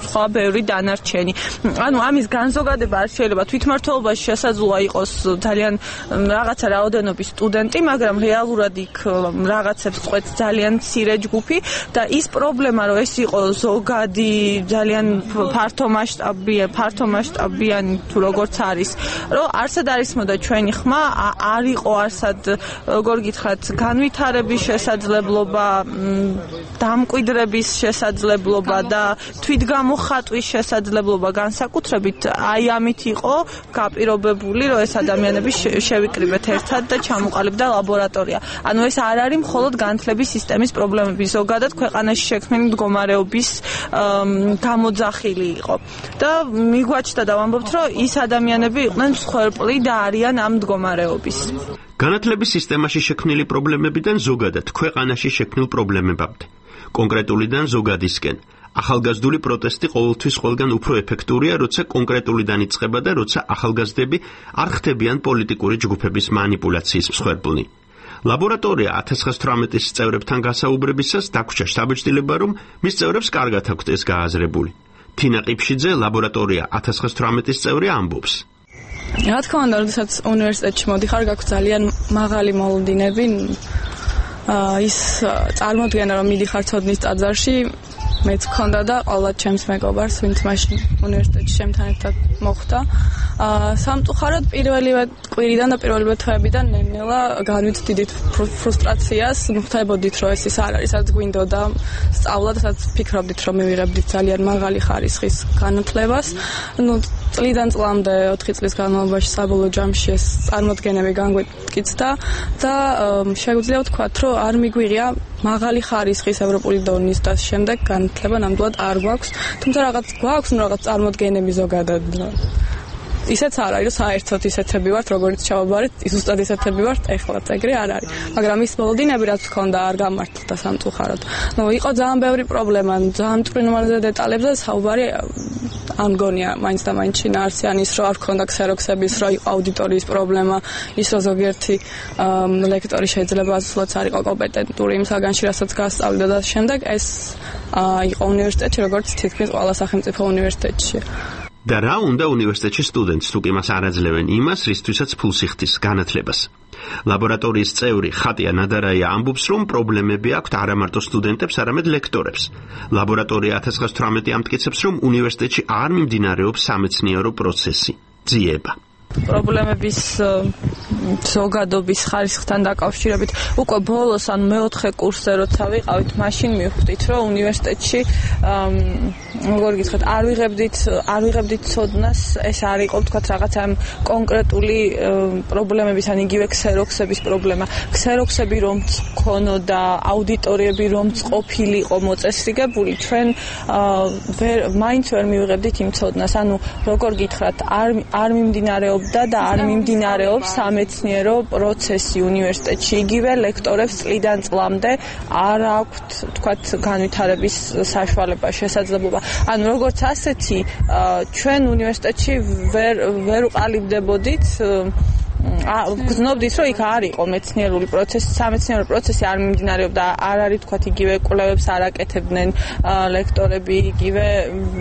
სხვა ბევრი დანარჩენი. ანუ ამის განზოგადება არ შეიძლება თვითმმართველობაში შესაძლოა იყოს ძალიან რაღაცა რაოდენობის სტუდენტი, მაგრამ რეალურად იქ რაღაცებს წყვეტს ძალიან მცირე ჯგუფი და ის პრობლემა, რომ ეს იყო ზოგადი ძალიან ფართომასშტაბიანი, ფართომასშტაბიანი თუ როგორც არის, რომ არსად არის მოდა ჩვენი ხმა, არ იყო არსად, როგორ გითხრათ, განვითარების შესაძლებლობა, დამკვიდრების შესაძლებლობა და თვითგამოხატვის შესაძლებლობა განსაკუთრებით აი ამით იყო გაპირობებული, რომ ეს ადამიანები შევიკრიბეთ ერთად და ჩამოყალიბდა ლაბორატორია. ანუ ეს არ არის მხოლოდ განათლების სისტემის პრობლემები, ზოგადად ქვეყანაში შექმნილი მდგომარეობის გამოძახილი იყო. და მიგვაჩნდა და ვამბობთ, რომ ის ადამიანები იყვნენ მსხვერპლი და არიან ამ მდგომარეობის. განათლების სისტემაში შექმნილი პრობლემებიდან ზოგადად ქვეყანაში შექმნილ პრობლემებამდე. კონკრეტულიდან ზოგადისკენ. ახალგაზრდული პროტესტი ყოველთვის ყველგან უფრო ეფექტურია, როცა კონკრეტულიდან იწყება და როცა ახალგაზრდები არ ხდებიან პოლიტიკური ჯგუფების манипуляციის მსხვერპლნი. ლაბორატორია ათას ცხრაას თვრამეტის წევრებთან გასაუბრებისას დაგვრჩა შთაბეჭდილება, რომ მის წევრებს კარგად აქვთ ეს გააზრებული. თინა ყიფშიძე, ლაბორატორია ათას ცხრაას თვრამეტის წევრი, ამბობს. რა თქმა უნდა, როდესაც უნივერსიტეტში მოდიხარ, გაქვს ძალიან მაღალი მოლოდინები. ის წარმოადგენა, რომ მიდიხარ ცოდნის ტაძარში, მეც მქონდა და ყველა ჩემს მეგობარს, ვინც მაშინ უნივერსიტეტში ჩემთან ერთად მოხვდა. სამწუხაროდ პირველივე კვირიდან და პირველივე თვეებიდან ნელ-ნელა განვით დიდი ფრუსტრაციას, მოხდებოდით, რომ ეს ის არ არის, რაც გვინდოდა სწავლა და სადაც ფიქრობდით, რომ მივიღებდით ძალიან მაღალი ხარისხის განათლებას. ნუ წლიდან წლამდე ოთხი წლის განმავლობაში საბოლოო ჯამში ეს წარმოდგენები განგვიკიცდა და შეგვიძლია ვთქვათ, რომ არ მიგვიღია მაღალი ხარისხის ევროპული დონის და შემდეგ განათლება ნამდვილად არ გვაქვს, თუმცა რაღაც გვაქვს, ნუ რაღაც წარმოდგენები ზოგადად. ისეც არ არის, რომ საერთოდ ისეთები ვართ, როგორც ჩავაბარეთ, ზუსტად ისეთები ვართ, ეხლაც ეგრე არ არის. მაგრამ ის მოლოდინები, რაც ჰქონდა, არ გამართლდა სამწუხაროდ. ნუ იყო ძალიან ბევრი პრობლემა, ძალიან მტვრინვალე დეტალებზე საუბარი ამ გონია მაინც და მაინც შინაარსიან ის, რომ არ ჰქონდა ქსეროქსების, რომ იყო აუდიტორიის პრობლემა, ის რომ ზოგიერთი ლექტორი შეიძლება ასულაც არ იყო კომპეტენტური იმ საგანში, რასაც გასწავლიდა და შემდეგ ეს იყო უნივერსიტეტში, როგორც თითქმის ყველა სახელმწიფო უნივერსიტეტში. და რა უნდა უნივერსიტეტში სტუდენტს, თუ კი მას არ აძლევენ იმას, რისთვისაც ფულს იხდის განათლებას. ლაბორატორიის წევრი ხატია ნადარაია ამბობს, რომ პრობლემები აქვთ არა მარტო სტუდენტებს, არამედ ლექტორებს. ლაბორატორია ათას ცხრაას თვრამეტი ამტკიცებს, რომ უნივერსიტეტში არ მიმდინარეობს სამეცნიერო პროცესი, ძიება. პრობლემების ზოგადობის ხარისხთან დაკავშირებით უკვე ბოლოს ან მეოთხე კურსზე როცა ვიყავით, მაშინ მივხვდით, რომ უნივერსიტეტში როგორ გითხრათ, არ ვიღებდით არ ვიღებდით ცოდნას, ეს არ იყო ვთქვათ რაღაც ამ კონკრეტული პრობლემების, ან იგივე ქსეროქსების პრობლემა. ქსეროქსები რომც ქონოდა, აუდიტორიები რომც ყოფილიყო მოწესრიგებული, ჩვენ ვერ მაინც ვერ მივიღებდით იმ ცოდნას. ანუ როგორ გითხრათ, არ არ მიმდინარეობდა და არ მიმდინარეობს სამეცნიერო სამეცნიერო პროცესი უნივერსიტეტში. იგივე ლექტორებს წლიდან წლამდე არ აქვთ, თქვათ, განვითარების საშუალება, შესაძლებლობა. ანუ როგორც ასეთი, ჩვენ უნივერსიტეტში ვერ ვერ უყალიბდებოდით ა გზნობდით რომ იქ არ იყო მეცნიერული პროცესი, სამეცნიერო პროცესი არ მიმდინარეობდა, არ არის თქვათ იგივე კვლევებს არ აკეთებდნენ ლექტორები, იგივე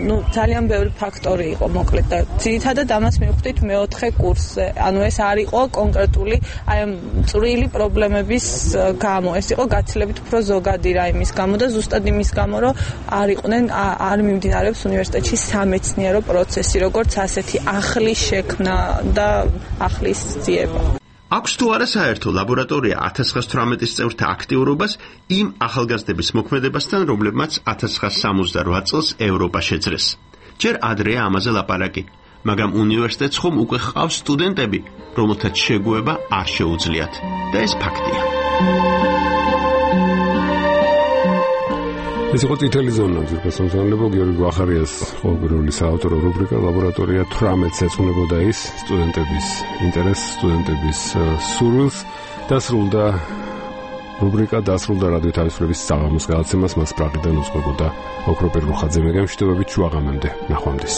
ნუ ძალიან ბევრი ფაქტორი იყო მოკლედ და ძირითადად ამას მივხვდით მეოთხე კურსზე. ანუ ეს არ იყო კონკრეტული აი ამ წვრილი პრობლემების გამო, ეს იყო გაცილებით უფრო ზოგადი რაიმის გამო და ზუსტად იმის გამო რომ არ იყვნენ არ მიმდინარეობს უნივერსიტეტში სამეცნიერო პროცესი, როგორც ასეთი ახლის შექმნა და ახლის აქვს თუ არა საერთო ლაბორატორია ათას ცხრაას თვრამეტი წევრთა აქტიურობას იმ ახალგაზრდების მოქმედებასთან, რომლებმაც ათას ცხრაას სამოცდარვა წელს ევროპა შეძლეს. ჯერ ადრეა ამაზე ლაპარაკი, მაგრამ უნივერსიტეტს ხომ უკვე ჰყავს სტუდენტები, რომელთაც შეგუება არ შეუძლიათ და ეს ფაქტია. ეს იყო წითელი ზონა, ძირფას მომსახურებო გიორგი გვახარიას ყოველგვარული საავტორო რუბრიკა ლაბორატორია თვრამეტს ეძღვნებოდა ის სტუდენტების ინტერესს, სტუდენტების სურვილს. დასრულდა რუბრიკა, დასრულდა რადიო თავისუფლების საღამოს გადაცემას, მას პრაღიდან უძღვებოდა ოქროპირ რუხაძე. მე გემშვიდობებით შუაღამემდე, ნახვამდის.